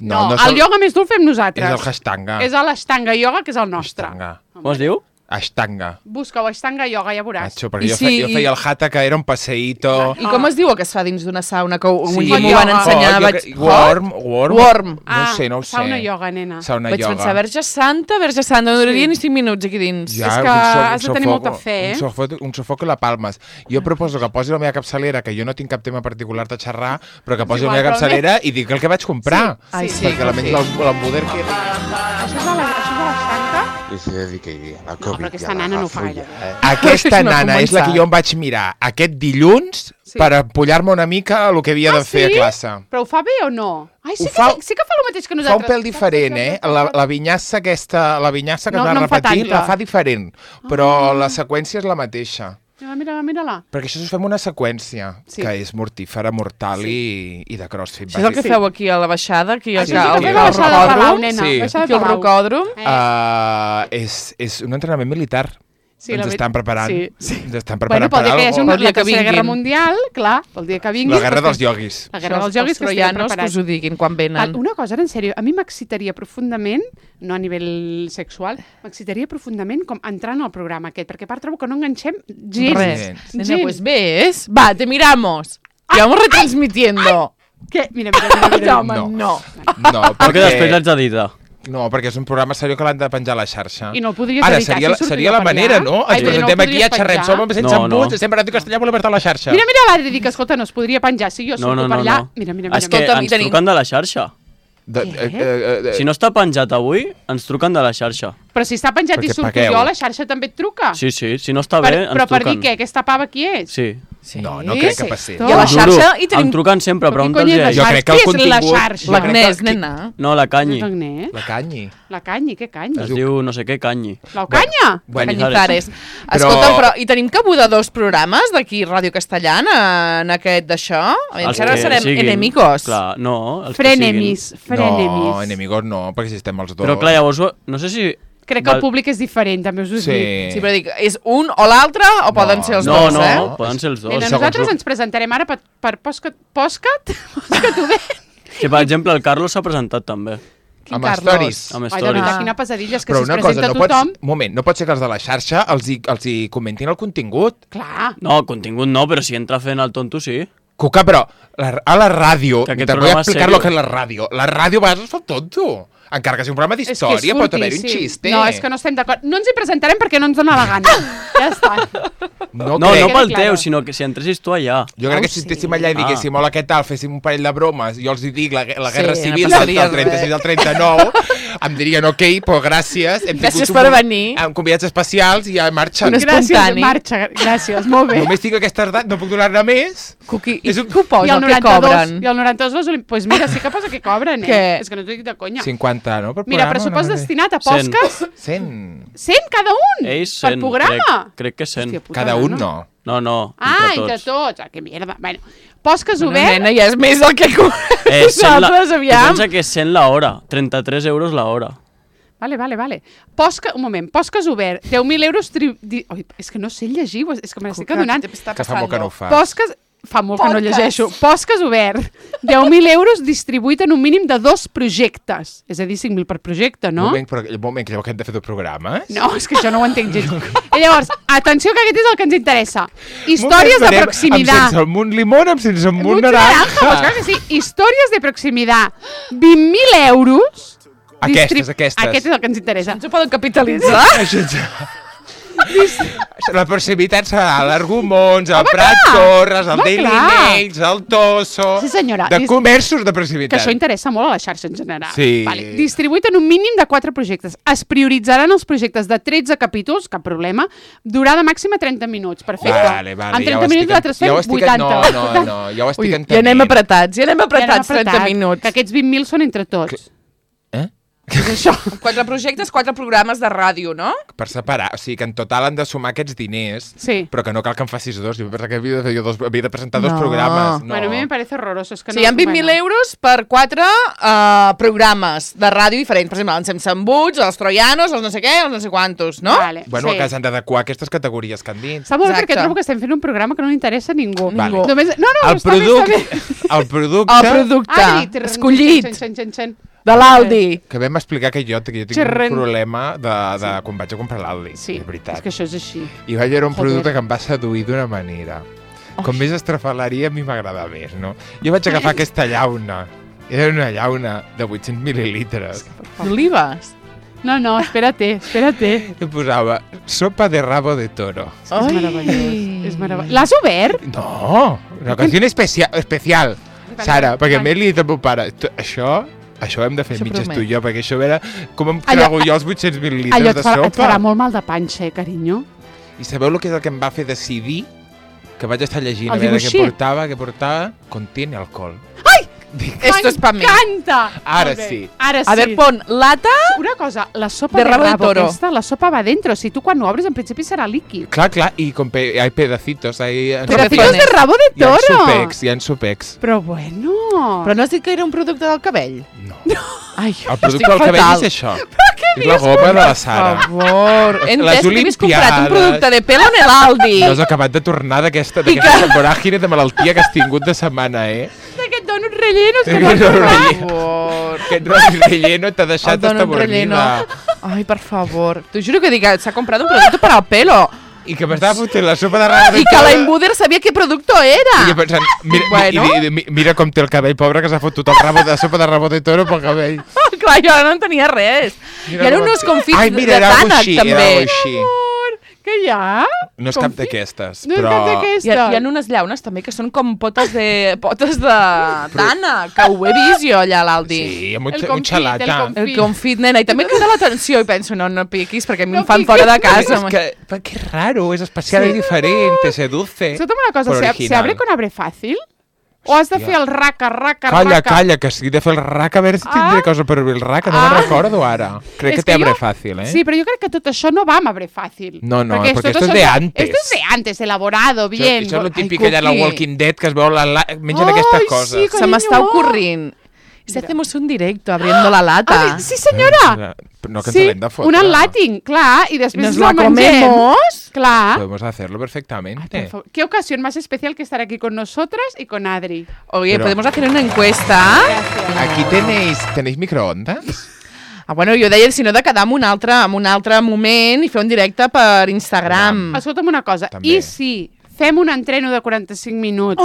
No, el yoga més dur el fem nosaltres. És el Ashtanga. És l'Ashtanga yoga, que és el nostre. Ashtanga. Com es diu? Ashtanga. Busca-ho, Ashtanga yoga, ja veuràs. Nacho, perquè jo feia el hatha, que era un passeïto. I com es diu el que es fa dins d'una sauna? Que Sí. m'ho van ensenyar. Worm. Worm. No ho sé. Sauna yoga, nena. Sauna Vaig yoga. pensar, Verge Santa, no duraria ni 5 minuts aquí dins. Ja, És que has de tenir molta fe, Un sofocó i la palmes. Jo proposo que posi la meva capçalera, que jo no tinc cap tema particular de xerrar, però que posi la meva capçalera i dic el que vaig comprar. Ai, sí. Perquè l'embuder que... Això és l'Ashtanga? I se dediqui a la Covid. però aquesta nana no ho fa gaire bé. Aquesta No ha nana és la que començat. jo em vaig mirar aquest dilluns per empollar-me una mica el que havia de fer a classe. Però ho fa bé o no? Ai, sí Ho que fa- sí que fa el mateix que Fa un nosaltres. pèl diferent, La vinyassa aquesta, la vinyassa que No, es va no em fa repetir, tanta. la fa diferent, però la seqüència és la mateixa. Mira-la. Perquè això us fem una seqüència, Sí. que és mortífera, mortal i de crossfit. Això és el que feu aquí a la baixada, aquí al Això és el que fem fem a la al baixada de Palau, rocòdrom. nena. Sí. Baixada Aquí de al Palau. rocòdrom. És un entrenament militar. Sí, Ens estan preparant. Sí. Ens estan Bueno, preparant pel dia que hi hagi alguna una, Pel dia la que Tercera Guerra vinguin. Mundial, clar, pel dia que vingui... La guerra dels ioguis. La guerra dels ioguis que estem troianos, que preparats. us ho diguin quan venen. Una cosa, ara, en sèrio, a mi m'excitaria profundament, no a nivell sexual, m'excitaria profundament com entrant al programa aquest, perquè a part trobo que no enganxem gens. Res. Nena, Gens. pues ves. Va, te miramos. Y vamos retransmitiendo. Què? Mira. Home, no. No, Perquè després l'haig d'editar. No, perquè és un programa seriós que l'han de penjar a la xarxa. I no el podries Ara, editar, seria, si seria sortiria la per manera, allà. no? Ai, Ens però no presentem el aquí a podries xerrem, penjar. som sense No, no. embuts, estem parlant en castellà, volem estar a la xarxa. Mira, l'Adri, dic, escolta, no es podria penjar. Si jo surto per allà... Mira. És que Escolta'm, ens tenim- truquen de la xarxa. Si no està penjat avui, ens truquen de la xarxa. Però si està penjat i Perquè surto pagueu. jo, la xarxa també et truca. Sí, si no està bé, ens Però per dir truquen. què? Aquesta pava qui és? Sí. No crec que passi. I a la Tot. xarxa hi Em tenim truquen sempre, Però qui pregunta'ls cony és a la ells. Jo xarxa? crec que el Qui és la contingut- xarxa? l'Agnès, nena. No, la Canyi. L'Agnès? La canyi. La Canyi, què Canyi? Es diu no sé què Canyi. L'Ocanya? Bueno, Cañizares. Però- Escolta'm, però hi tenim cabuda 2 programes d'aquí Ràdio Castellana en aquest d'això? Els Encara que serem siguin. enemigos. Clar, no, els que Frenemies. No, enemigos no, perquè si estem els dos. siguin. Però clar, llavors, no sé si... Crec que el públic és diferent, també us ho dic. Sí, però dic, és un o l'altre o poden ser els No, dos, eh? poden ser els dos. Nena, segons nosaltres el- ens presentarem ara per Postcat obert. Que, per exemple, el Carlos s'ha presentat també. Quin Amb Carlos? stories. Amb Ai, de stories. veritat, quina pesadilla, és que Però si es una cosa, presenta no pots... tothom... Moment, no pot ser que els de la xarxa els hi comentin el contingut. Clar. No, contingut no, però si entra fent el tonto, sí. Cuca, però a la ràdio, Que aquest te voy a programa és explicar serio. lo que és la ràdio. La ràdio a vegades es fa tonto. Encara que sigui un programa És que és d'història, pot furti, haver-hi un sí. xiste. No, és que no estem d'acord. No ens hi presentarem perquè no ens dona la gana. Ja està. No, No, crec. no pel Quedi teu, claro. sinó que si entressis tu allà. Jo crec que si sí. estéssim allà i diguéssim hola, què tal, féssim un parell de bromes, jo els hi dic la guerra Sí, civil no del passaria 36 al 39, em dirien ok, però gràcies. Hem Gràcies tingut per venir. Amb convidats especials i ja marxen. Un Gràcies, espontani. marxa. Gràcies, molt bé. Només tinc aquesta edat, no puc donar-ne més. Cuqui, És i un- què ho I posa? el Què 92, cobren? i el 92 les Olimpiades. Pues mira, sí que posa que cobren, Què? És que no t'ho dic de conya. 50, no? Per Mira, programa, pressupost no sé. destinat a 100. Posques, 100. 100 cada un, Ells per 100, programa. crec que 100. Hòstia puta, Cada un no. No, Ah, entre entre tots. tots. Ah, que mierda. Bueno, Posques Bueno, obert, nena, ja és més del que cobrem 100 nosaltres, tu aviam. pensa que és 100 l'hora, 33 euros l'hora. Vale. Un moment, Posques obert, 10.000 euros... Oi, és que no sé llegir, és que me l'estic adonant. Que fa molt que no ho fas. Posques... Fa molt que no Podcast. llegeixo. Posques obert, 10.000 euros distribuït en un mínim de 2 projectes. És a dir, 5.000 per projecte, no? Un moment, que llavors hem de fer 2 programes? No, és que això no ho entenc gens. I llavors, atenció que aquest és el que ens interessa. Històries de Amb proximitat. sense el munt limón, amb sense el munt Mucho naranja, pues naranja. clar que sí. Històries de proximitat. 20.000 euros. Aquestes. Aquest és el que ens interessa. Ens ho poden capitalitzar? La proximitat serà l'Argumons, el Prat Torres, el Home, Daily clar. Mails, el Tosso... Sí, senyora. De comerços de Que proximitat. això interessa molt a la xarxa en general. Sí. Vale. Distribuït en un mínim de 4 projectes. Es prioritzaran els projectes de 13 capítols, cap problema, durada màxima 30 minuts. Perfecte. Vale, En 30 minuts nosaltres fem 80. No, ja ho estic Ui, entenent. ja anem apretats, Ja anem 30 minuts. Que aquests 20.000 són entre tots. És això. 4 projectes, 4 programes de ràdio, no? Per separar, o sigui que en total han de sumar aquests diners, però que no cal que en facis 2. Jo pensava que havia de presentar 2 programes. No. Bueno, a mi me parece horroroso. És que o sigui, hi ha 20.000 euros per 4 programes de ràdio diferents. Per exemple, els Semsambuts, els Troianos, els no sé què, els no sé quantos, no? Vale, bueno, que s'han d'adequar aquestes categories que han dit. Està molt bé perquè trobo que estem fent un programa que no li interessa a ningú. Vale. Només... No, el producte... El producte escollit de l'Aldi. Que vam explicar que jo tinc un problema de quan vaig a comprar l'Aldi. Sí, de veritat. és que això és així. I vaig veure un producte que em va seduir d'una manera. Com més estrafalaria, a mi m'agrada més, no? Jo vaig agafar aquesta llauna. Era una llauna de 800 mil·lilitres. D'olives? No, espérate. I posava sopa de rabo de toro. És meravellós. És meravellós. L'has obert? No, una ocasió especial. Sara, perquè a mi li he dit al meu pare, això hem de fer mitges tu i jo, perquè això era com em trago jo els 800 mil·lilitres de sopa. Allò et farà molt mal de panxa, carinyo. I sabeu el que és el que em va fer decidir? Que vaig estar llegint a veure què portava. Contiene alcohol. Ai! Esto es para mí. M'encanta! Ara sí. A ver, pon lata... Una cosa, la sopa de rabo aquesta, la sopa va dentro. Si tu quan ho obres, en principi serà líquid. Clar, i hay pedacitos. Pedacitos de rabo de toro! Hi ha supecs. Però bueno... Però no has dit que era un producte del cabell? No. Ai, el producte del cabell és això. És la goma de la Sara. Per favor. Entès que havies comprat un producte de pelo en l'Aldi. No has acabat de tornar d'aquesta voràgine de malaltia que has tingut de setmana, D'aquest donut rellenos que m'has tornat. Aquest donut relleno t'ha deixat hasta bornida. Ai, per favor. T'ho juro que dic, s'ha comprat un producte per al pelo. I que m'estava fotent la sopa de rabo de toro. I que la Inbuder sabia què producte era. I jo pensant, mira com té el cabell, pobre, que s'ha fotut la sopa de rabo de toro pel cabell. Clar, jo no en tenia res. I ara uns confits de tànec, també. Què hi ha? No és cap d'aquestes, però... No és cap d'aquestes. Hi ha unes llaunes també que són com potes de tànec, que ho he vist jo allà a l'Aldi. Sí, un xalata. El confit, nena. I també crida l'atenció i penso, no piquis, perquè a mi em fan fora de casa. És que raro, és especial i diferent, te seduce. Escolta'm una cosa, ¿se abre con abre fàcil? O has de fer el raca? Calla, que si he de fer el raca, a veure si tindré cosa per obrir el raca, no me'n recordo ara. Crec que té abre fàcil, Sí, però jo crec que tot això no va amb abre fàcil. No, perquè esto es de antes. Esto es de antes, elaborado, bien. Això és lo típic allà a la Walking Dead, que es veu mengen aquestes coses. Se m'està ocorrint. Si hacemos un directo abriendo la lata. Sí, senyora. No, que ens l'hem de fotre. Un enlating, clar, y después nos la comemos. Claro. Podemos hacerlo perfectamente. ¿Qué ocasión más especial que estar aquí con nosotras y con Adri? Oye, podemos hacer una encuesta. Aquí tenéis microondas? Bueno, jo deia, si no, de quedar en un altre moment i fer un directe per Instagram. Escolta'm una cosa, i si fem un entreno de 45 minuts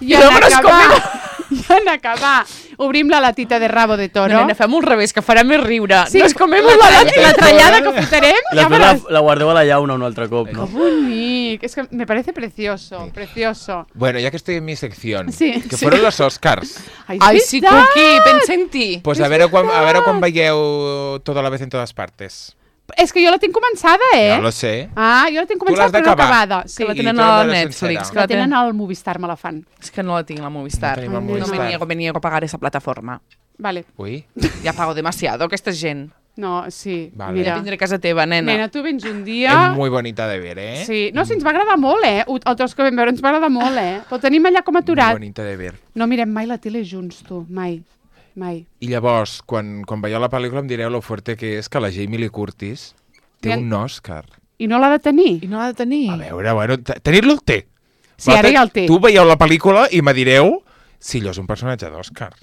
i en acabar obrim la latita de rabo de toro. Nena, fem un revés, que farà més riure. Sí, nos comemos la trallada que fotrem. La guardeu a la llauna un altre cop, no? Que bonic. Es que me parece precioso, precioso. Bueno, ya que estoy en mi sección, que sí. fueron los Oscars. Ai, sí, Cookie, pensa en ti. Pues a veure quan veieu Todo a la vez en todas partes. És que jo la tinc començada, Ja lo sé. Jo la tinc començada però no acabada. Sí. Que la tenen al Netflix. Que la tenen al Movistar, me la fan. És que no la tinc, la Movistar. No me niego a pagar esa plataforma. Vale. Uy. Ja pago demasiado, aquesta gent. No, sí. Vale. Mira. Ja vindré a casa teva, nena. Nena, tu vens un dia... És muy bonita de ver, Sí. No, sí, ens va agradar molt, El tros que vam veure ens va agradar molt, Però tenim allà com aturat. Muy bonita de ver. No mirem mai la tele junts, tu. Mai. I llavors, quan veieu la pel·lícula em direu lo fuerte que és que la Jamie Lee Curtis té un Òscar. I no l'ha de tenir? A veure, bueno, tenir-lo el té. Sí, ara ja el té. Tu veieu la pel·lícula i me direu si allò és un personatge d'Òscar.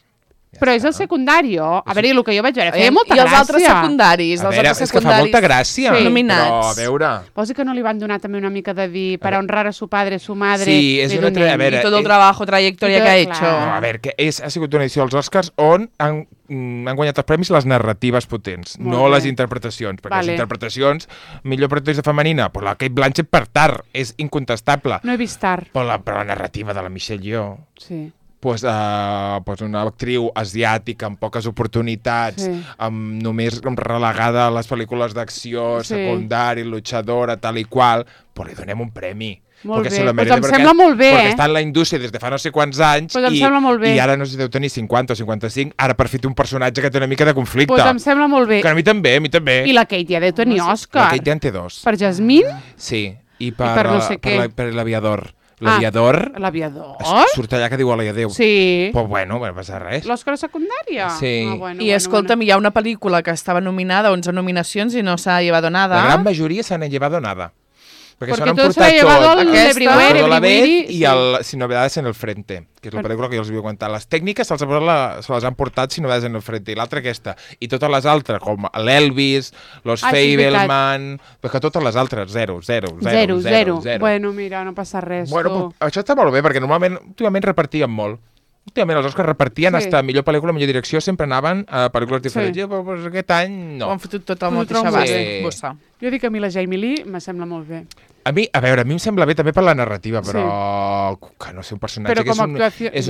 Però és el secundari. A veure, el que jo vaig veure, feia molta gràcia. I els altres secundaris? A veure, és que fa molta gràcia. Nominats. Però, a veure... Vols dir que no li van donar també una mica de dir para honrar a su padre, su madre... Sí, és una... A veure... I tot el trabajo, trajectòria que ha hecho. No, a veure, que ha sigut una edició als Oscars on han guanyat els premis les narratives potents, no les interpretacions. Perquè les interpretacions, millor protagonista femenina, però la Cate Blanchett per Tar, és incontestable. No he vist Tar. Però la narrativa de la Michelle Yeoh... Sí. Pues una actriu asiàtica amb poques oportunitats, només relegada a les pel·lícules d'acció, secundari, luchadora, tal i qual, però li donem un premi. Molt bé, doncs em sembla molt bé, perquè està en la indústria des de fa no sé quants anys i ara no sé si deu tenir 50 o 55, ara per fer un personatge que té una mica de conflicte. Doncs em sembla molt bé. Que a mi també. I la Kate ja deu tenir Òscar. La Kate ja en té 2. Per Jasmine? Sí, i per no sé què. Per l'Aviador. L'Aviador? Surt allà que diu hola i adéu. Sí. Però bueno, no passa res. L'Òscar secundària? Sí. I escolta'm, hi ha una pel·lícula que estaba nominada a 11 nominacions i no s'ha llevado nada. La gran majoria s'han llevado nada. Porque todo se ha llevado el Everywhere y el Sin Novedades en el Frente, que és la pel·lícula que jo els havia comentat. Les tècniques se les han portat Sin Novedades en el Frente, i l'altra aquesta. I totes les altres, com l'Elvis, Los Fabelman, perquè totes les altres, 0. Bueno, mira, no passa res. Bueno, això està molt bé, perquè normalment, últimament repartien molt. Últimament els Oscars repartien hasta millor pel·lícula, millor direcció, sempre anaven a pel·lícules diferents. Però aquest any no. Ho han fotut tot al mateix abast. Jo dic que a mi la Jamie Lee me sembla molt bé. A mi em sembla bé també per la narrativa, però que no sé, un personatge que és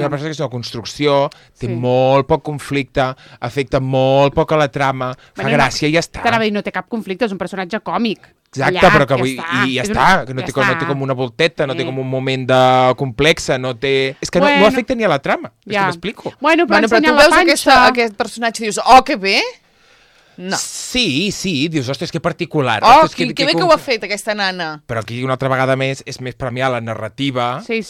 una persona que és una construcció, té molt poc conflicte, afecta molt poc a la trama, fa gràcia i ja està. T'anava a dir, no té cap conflicte, és un personatge còmic. Exacte, però que i ja està, que no té com una volteta, no té com un moment de complexa, no té... És que no afecta ni a la trama, és que m'explico. Bueno, però tu veus aquest personatge i dius, oh, que bé! No. Sí, dius, ostres, que particular. Oh, que bé que ho ha fet, aquesta nana. Però aquí una altra vegada més és més premiar la narrativa sí.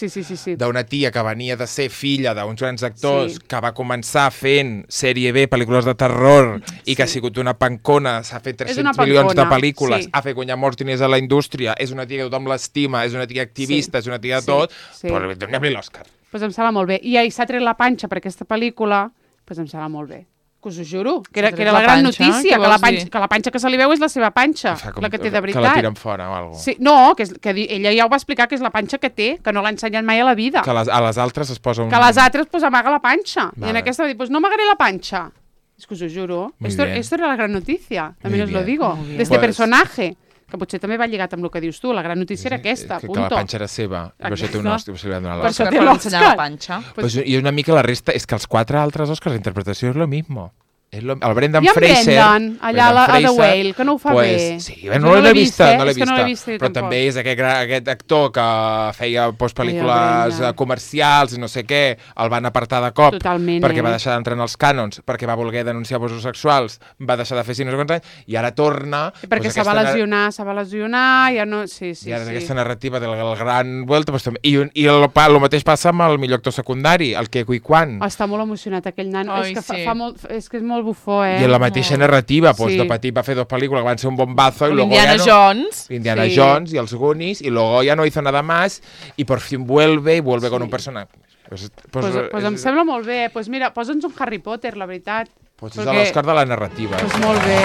d'una tia que venia de ser filla d'uns grans actors, que va començar fent sèrie B, pel·lícules de terror, i que ha sigut una pancona, s'ha fet 300 milions de pel·lícules, ha fet guanyar molts diners a la indústria, és una tia que tothom l'estima, és una tia activista, és una tia de tot, però donem-li l'Òscar. Doncs em sembla molt bé. I s'ha tret la panxa per aquesta pel·lícula, doncs em sembla molt bé. Que us ho juro, que era la gran notícia, que la panxa que se li veu és la seva panxa, la que té de veritat. Que la tiren fora o alguna cosa. Sí, no, que ella ja ho va explicar, que és la panxa que té, que no l'ha ensenyat mai a la vida. Que a les altres es posa Que a les altres amaga la panxa. I en aquesta va dir, no amagaré la panxa. És que us ho juro. Esto era la gran notícia, també us lo digo. D'este personaje. Que potser també va lligat amb el que dius tu, la gran notícia era aquesta, punto. Que la panxa era seva, per això té un Òscar, se li va donar l'Òscar. Per això té l'Òscar. I una mica la resta, és que els 4 altres Òscars, la interpretació és lo mismo. El Brendan Fraser... I en Brendan, allà a The Whale, que no ho fa bé. Sí, no l'he vista, però també és aquest actor que feia pel·lícules comercials i no sé què, el van apartar de cop perquè va deixar d'entrar en els cànons, perquè va voler denunciar abusos sexuals, va deixar de fer no sé quants anys, i ara torna... Perquè se va lesionar, ja no... Sí. I ara aquesta narrativa del gran vuelta... I el mateix passa amb el millor actor secundari, el Ke Huy Quan. Està molt emocionat aquell nan, és que és molt bufó, I en la mateixa narrativa, de petit va fer 2 pel·lícules que van ser un bombazo y luego Indiana Jones y els Goonies, y luego ya no hizo nada más y por fin vuelve con un personaje. Pues em sembla molt bé. Pues mira, posa'ns un Harry Potter, la veritat. Pues és l'Òscar de la narrativa. Pues molt bé.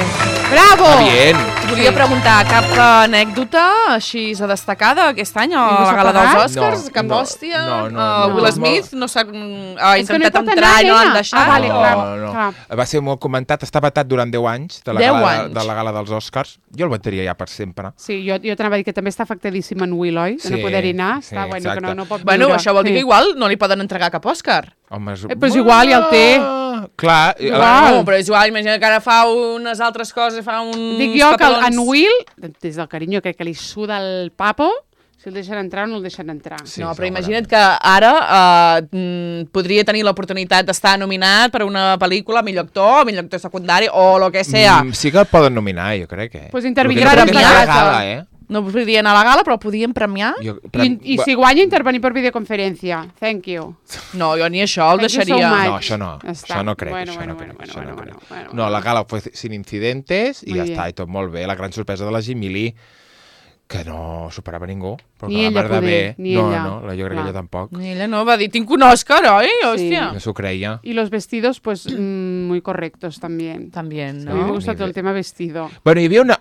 Bravo! Bien. Volia preguntar, cap anècdota així destacada aquest any a la gala dels Oscars? Cap hòstia? Will Smith no s'ha intentat entrar i no l'han deixat? No. Va ser molt comentat, està vetat durant 10 anys de la gala dels Oscars. Jo el vetaria ja per sempre. Sí, jo t'anava a dir que també està afectadíssim en Will, oi? De no poder-hi anar. Està bueno, que no pot viure. Bueno, això vol dir que igual no li poden entregar cap Òscar. Però igual ja el té. Clar. No, però és igual, imagina que ara fa unes altres coses, fa uns Dic jo que en Will, des del carinyo crec que li suda el papo, si el deixen entrar o no el deixen entrar. Sí, no, però imagina't que ara podria tenir l'oportunitat d'estar nominat per una pel·lícula, millor actor secundari o lo que sea. Sí que el poden nominar, jo crec. Pues intervindran en la gala, No podien anar a la gala, però podien premiar. I si guanya, intervenir per videoconferència. Thank you. No, jo ni això el deixaria. No, això no. Això no crec. No, la gala fue sin incidentes i ja està, i tot molt bé. La gran sorpresa de la Jamie Lee, que no superava ningú. Ni ella poder, ni ella. No, jo crec que ella tampoc. Ni ella no, va dir, tinc un Òscar, oi? Hòstia. No s'ho creia. Y los vestidos, pues, muy correctos también. También, ¿no? A mí me gusta todo el tema vestido. Bueno, hi havia una...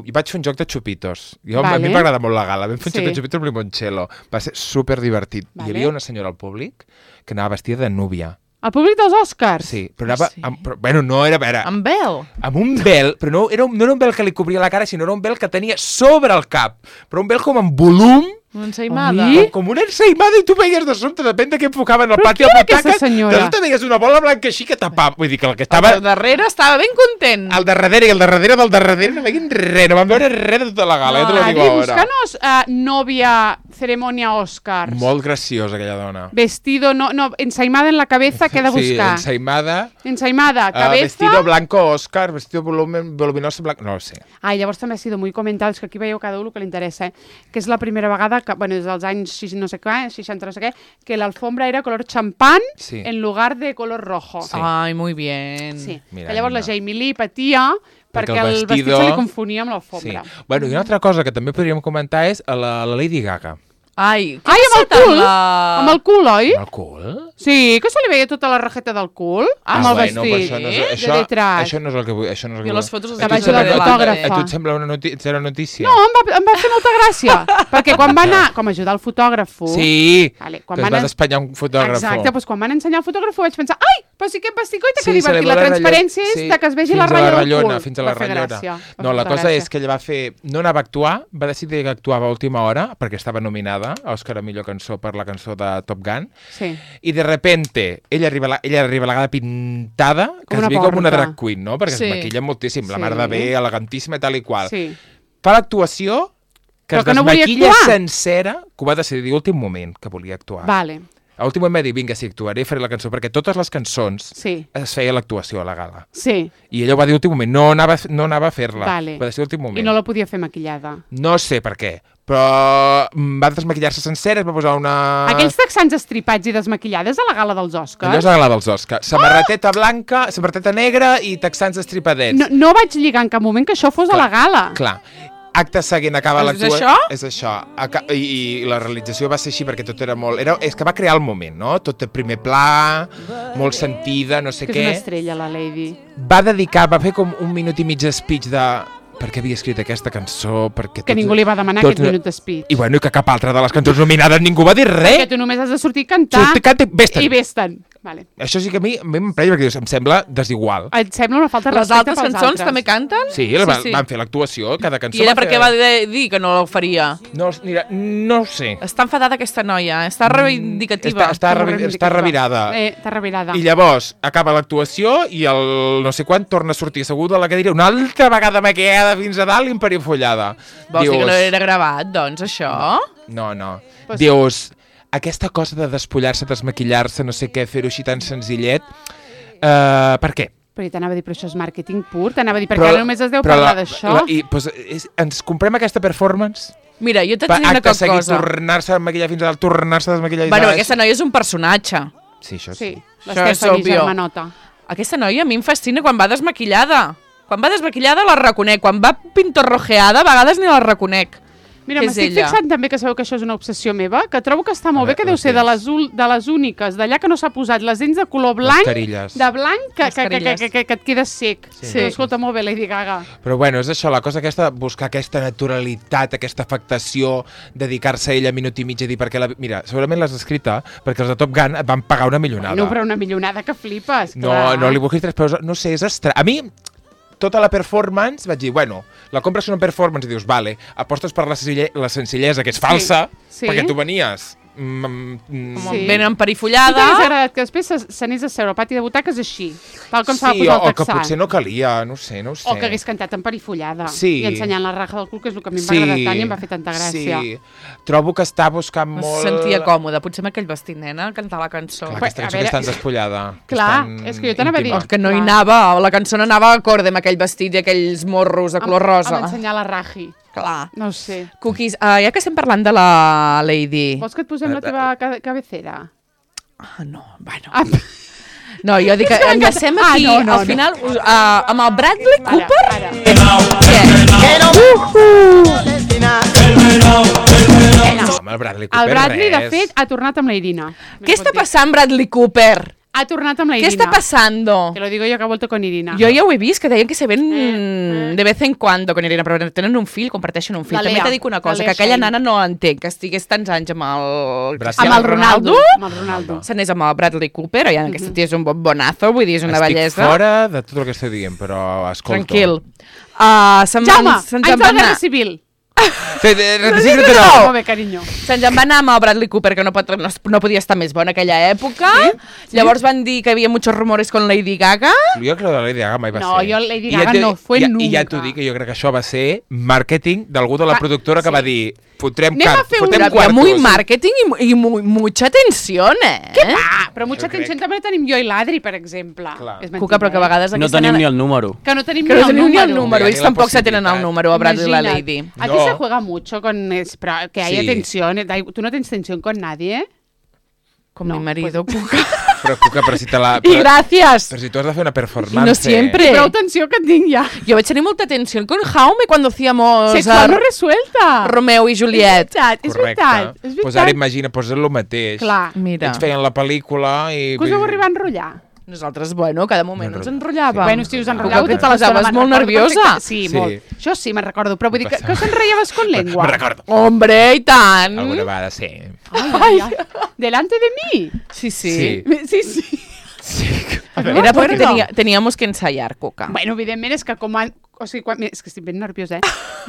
I vaig fer un joc de xupitos. A mi m'agrada molt la gala. Vam fer un joc de xupitos amb limoncello. Va ser superdivertit. Hi havia una senyora al públic que anava vestida de núvia. Al públic dels Oscars? Sí, però anava... Bueno, no era... Amb vel? Amb un vel, però no era un vel que li cobria la cara, sinó era un vel que tenia sobre el cap. Però un vel com amb volum, Una ensaïmada. Com una ensaïmada i tu veies de sobte, depèn de què enfocaven al pati Però al qui era aquesta butaques, senyora? de sobte veies una bola blanca així que tapava. Vull dir que el que estava... El darrere estava ben content. Al darrere i al darrere del darrere no veien res, no van veure res de tota la gala, ja te lo digo ara. Búscanos novia ceremonia Oscars. Molt graciosa aquella dona. Vestido, no, ensaïmada en la cabeza, què he de buscar? Sí, Ensaïmada, cabeza... Vestido blanco Oscar, vestido voluminoso blanco... No ho sé. Llavors també ha sido muy comentado, és que aquí veieu cada un el que li interessa, que és la primera vegada, que, bueno, des dels anys 60 no sé què, que l'alfombra era color champán en lugar de color rojo. Sí. Ai, muy bien. Sí. Mira, que llavors la Jamie Lee patia perquè el vestit se li confonia amb l'alfombra. Sí. Bueno, i una altra cosa que també podríem comentar és la Lady Gaga. Ai, amb el cul! Amb el cul, oi? Amb el cul? Sí, que se li veia tota la rajeta del cul amb el vestit. Això no és el que vull. Això no és el que vull. I les fotos que vaig de la fotògrafa. A tu et sembla una notícia? No, em va fer molta gràcia. Perquè quan va anar, com a ajudar el fotògraf... Sí, que es va despanyar un fotògraf. Exacte, doncs quan van ensenyar el fotògraf vaig pensar, ai, però sí que vestit, coita, que divertit. La transparència és que es vegi la ratlla del cul. Fins a la ratllona. No, la cosa és que ella va fer... No anava a actuar, va decidir que actuava a última hora, perquè estava nominada a Òscar a millor cançó per la cançó de Top Gun. Sí. I de repente, ella arriba a la gala pintada, que es veu com una drag queen, no? Perquè es maquilla moltíssim, la mar de bé, elegantíssima i tal i qual. Sí. Fa l'actuació, que es desmaquilla sencera, que ho va decidir a últim moment, que volia actuar. Vale. A últim moment va dir, vinga, sí, actuaré i faré la cançó, perquè totes les cançons es feia l'actuació a la gala. Sí. I ella ho va dir a últim moment, no anava a fer-la. Vale. Va decidir a últim moment. I no la podia fer maquillada. No sé per què, però va desmaquillar-se sencera, es va posar una... Aquells texans estripats i desmaquillades a la gala dels Oscars? Allò és a la gala dels Oscars. Samarreteta blanca, samarreteta negra i texans estripadets. No vaig lligar en cap moment que això fos a la gala. Clar. Acte seguint acaba l'actuació... És això? És això. I la realització va ser així perquè tot era molt... És que va crear el moment, no? Tot de primer pla, molt sentida, no sé què. Que és una estrella, la Lady. Va fer com 1 minut i mig de speech de... Per què havia escrit aquesta cançó? Que ningú li va demanar aquest minut de speech. I bueno, i que cap altra de les cançons nominades ningú va dir res. Perquè tu només has de sortir a cantar i vés-te'n. Vale. Això sí que a mi m'emprenya perquè em sembla desigual. Et sembla una falta de respecte pels altres. Les altres cançons també canten? Sí, van fer l'actuació, cada cançó. I era perquè va dir que no ho faria? No ho sé. Està enfadada aquesta noia, està reivindicativa. Està revirada. Està revirada. I llavors acaba l'actuació i el no sé quan torna a sortir asseguda a la cadira una altra vegada maquillada fins a dalt i emperifollada. Vols dir que no era gravat, doncs, això? No. Dius... Aquesta cosa de despullar-se, desmaquillar-se, no sé què, fer-ho així tan senzillet, per què? Però t'anava a dir, però això és màrqueting pur, t'anava a dir, perquè ara només es deu parlar d'això. Ens comprem aquesta performance? Mira, jo t'haig de dir una cosa. Acte seguit, tornar-se a maquillar fins a dalt, tornar-se a desmaquillar fins a dalt. Bueno, aquesta noia és un personatge. Sí, això sí. L'Estefani germanota. Aquesta noia a mi em fascina quan va desmaquillada. Quan va desmaquillada la reconec, quan va pintorrojeada a vegades ni la reconec. Mira, m'estic fixant també que sabeu que això és una obsessió meva, que trobo que està molt bé, que deu ser de les úniques d'allà que no s'ha posat les dents de color blanc, de blanc, que et quedes sec. Sí. Escolta, molt bé, Lady Gaga. Però bueno, és això, la cosa aquesta, buscar aquesta naturalitat, aquesta afectació, dedicar-se a ella minut i mig a dir perquè Mira, segurament l'has escrita perquè els de Top Gun et van pagar una millonada. No, però una millonada que flipes, clar. No li busquis 3 peus, no sé, és estrany. A mi... Tota la performance, vaig dir, bueno, la compres una performance i dius, vale, apostes per la senzillesa, que és falsa, perquè tu venies ben emperifollada. Tu t'hagués agradat que després s'anés a seure al pati de butaques així, tal com s'ha de posar el texà. O que potser no calia, no sé. O que hagués cantat emperifollada i ensenyant la raja del cul, que és el que a mi em va agradar tant i em va fer tanta gràcia. Sí, trobo que està buscant molt... Es sentia còmode, potser amb aquell vestit, nena, a cantar la cançó. Clar, aquesta cançó que és tan despullada. Clar, és que jo t'anava a dir... Que no hi anava, la cançó no anava acorde amb aquell vestit i aquells morros de color rosa. Amb ensenyar la raji. Clar. No sé. Cookies, ja que estem parlant de la Lady... Vols que et posem la teva cabecera? No, bueno... No, jo dic que enllacem aquí, al final, amb el Bradley Cooper... El Bradley, de fet, ha tornat amb la Irina. Què està passant, Bradley Cooper? Ha tornat amb la Irina. ¿Qué está pasando? Te lo digo yo que ha vuelto con Irina. Jo ja ho he vist, que deien que se ven de vez en cuando con Irina, però tenen un fill, comparteixen un fill. També t'he dit una cosa, que aquella nana no entenc, que estigués tants anys amb el Ronaldo. Se n'és amb el Bradley Cooper, i aquesta tia és un bonazo, vull dir, és una bellesa. Estic fora de tot el que estic dient, però escolta. Tranquil. Jaume, anys de la Guerra Civil. Molt bé, carinyo. Se'ns en va anar amb el Bradley Cooper, que no podia estar més bona aquella època. Sí? Llavors van dir que havia muchos rumores con Lady Gaga. Jo crec que la Lady Gaga mai va ser. No, jo Lady Gaga no fue nunca. I ja t'ho dic, que jo crec que això va ser màrqueting d'algú de la productora que va dir fotrem quartos. Muy marketing i mucha tensió, Què va? Però mucha tensió també tenim jo i l'Adri, per exemple. Cuca, però que a vegades... No tenim ni el número. Que no tenim ni el número. Ells tampoc se tenen el número a Bradley y la Lady. Aquí se juega mucho con... Pero que haya tensión. ¿Tú no tens tensión con nadie? Con mi marido, Cuca. Però si te la... I gràcies. Però si tu has de fer una performance. No siempre. Prou tensió que tinc ja. Jo vaig tenir molta tensió con Jaume cuando hacíamos... Sexual no resuelta. Romeo i Juliet. És veritat. Pues ara imagina, pues és el mateix. Clar. Mira. Ells feien la pel·lícula i... Que us vau arribar a enrotllar? Nosaltres, bueno, cada moment ens enrotllàvem. Bueno, si us enrotllàveu tota la estona. Molt nerviosa. Sí, molt. Jo sí, me'n recordo. Però vull dir que us enrollaves con lengua. Me'n recordo. Hombre, i tant. Alguna vegada, sí. Ai. Delante de mi. Sí. Era perquè teníamos que ensayar, Cuca. Bueno, evidentment és que és que estic ben nerviosa,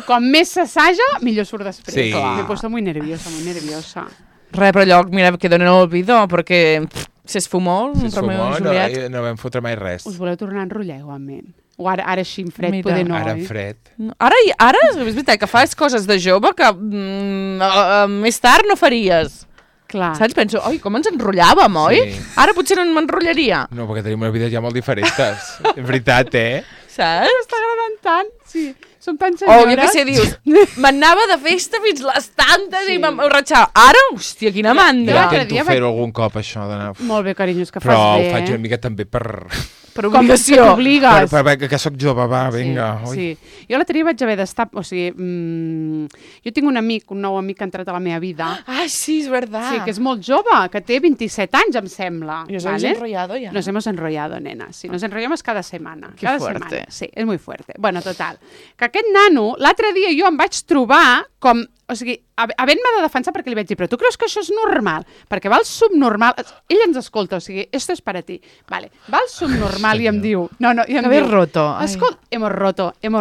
Com més s'assaja, millor surt després. Sí. Me he puesto muy nerviosa. Res, però allò, mira, quedó en el olvido, perquè se esfumó Romeo i Juliet. No vam fotre mai res. Us voleu tornar a enrotllar igualment? O ara així en fred, poder no, Ara en fred. Ara és veritat que fas coses de jove que més tard no faries. Clar. Saps? Penso, oi, com ens enrotllàvem, oi? Ara potser no m'enrotllaria. No, perquè tenim unes vides ja molt diferents. És veritat, Saps? M'està agradant tant, sí. Som tan senyores. Jo què sé, dius, m'anava de festa fins les tantes i m'ho ratxava. Ara, hòstia, quina mandra. Jo intento fer-ho algun cop, això d'anar... Molt bé, carinyos, que fas bé. bé, Però ho faig una mica també per obligació. Com t'obligues. Que sóc jove, va, vinga. Sí. Jo l'altre dia vaig haver d'estar... O sigui, jo tinc un nou amic que ha entrat a la meva vida. Ah, sí, és verdad. Sí, que és molt jove, que té 27 anys, em sembla. I us habéis enrollado ya. Nos hemos enrollado, nena. Sí, nos enrollamos cada semana. Qué fuerte. Sí, és muy fuerte. Bueno, total. Que aquest nano, l'altre dia jo em vaig trobar com... O sigui, havent-me de defensar perquè li vaig dir, però tu creus que això és normal? Perquè va al subnormal... Ell ens escolta, o sigui, esto es para ti. Vale, va al subnormal i em diu... No, i em diu... roto. Escolta, hemos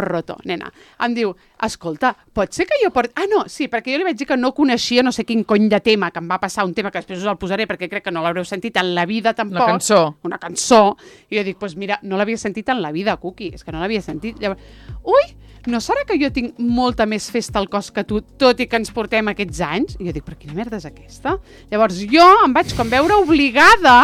roto, nena. Em diu, escolta, pot ser que jo porti... Ah, no, sí, perquè jo li vaig dir que no coneixia no sé quin cony de tema, que em va passar un tema que després us el posaré perquè crec que no l'haureu sentit en la vida tampoc. Una cançó. I jo dic, doncs mira, no l'havia sentit en la vida, Cuqui, és que no l'havia sentit. Llavors, no serà que jo tinc molta més festa al cos que tu, tot i que ens portem aquests anys? I jo dic, però quina merda és aquesta? Llavors jo em vaig com veure obligada,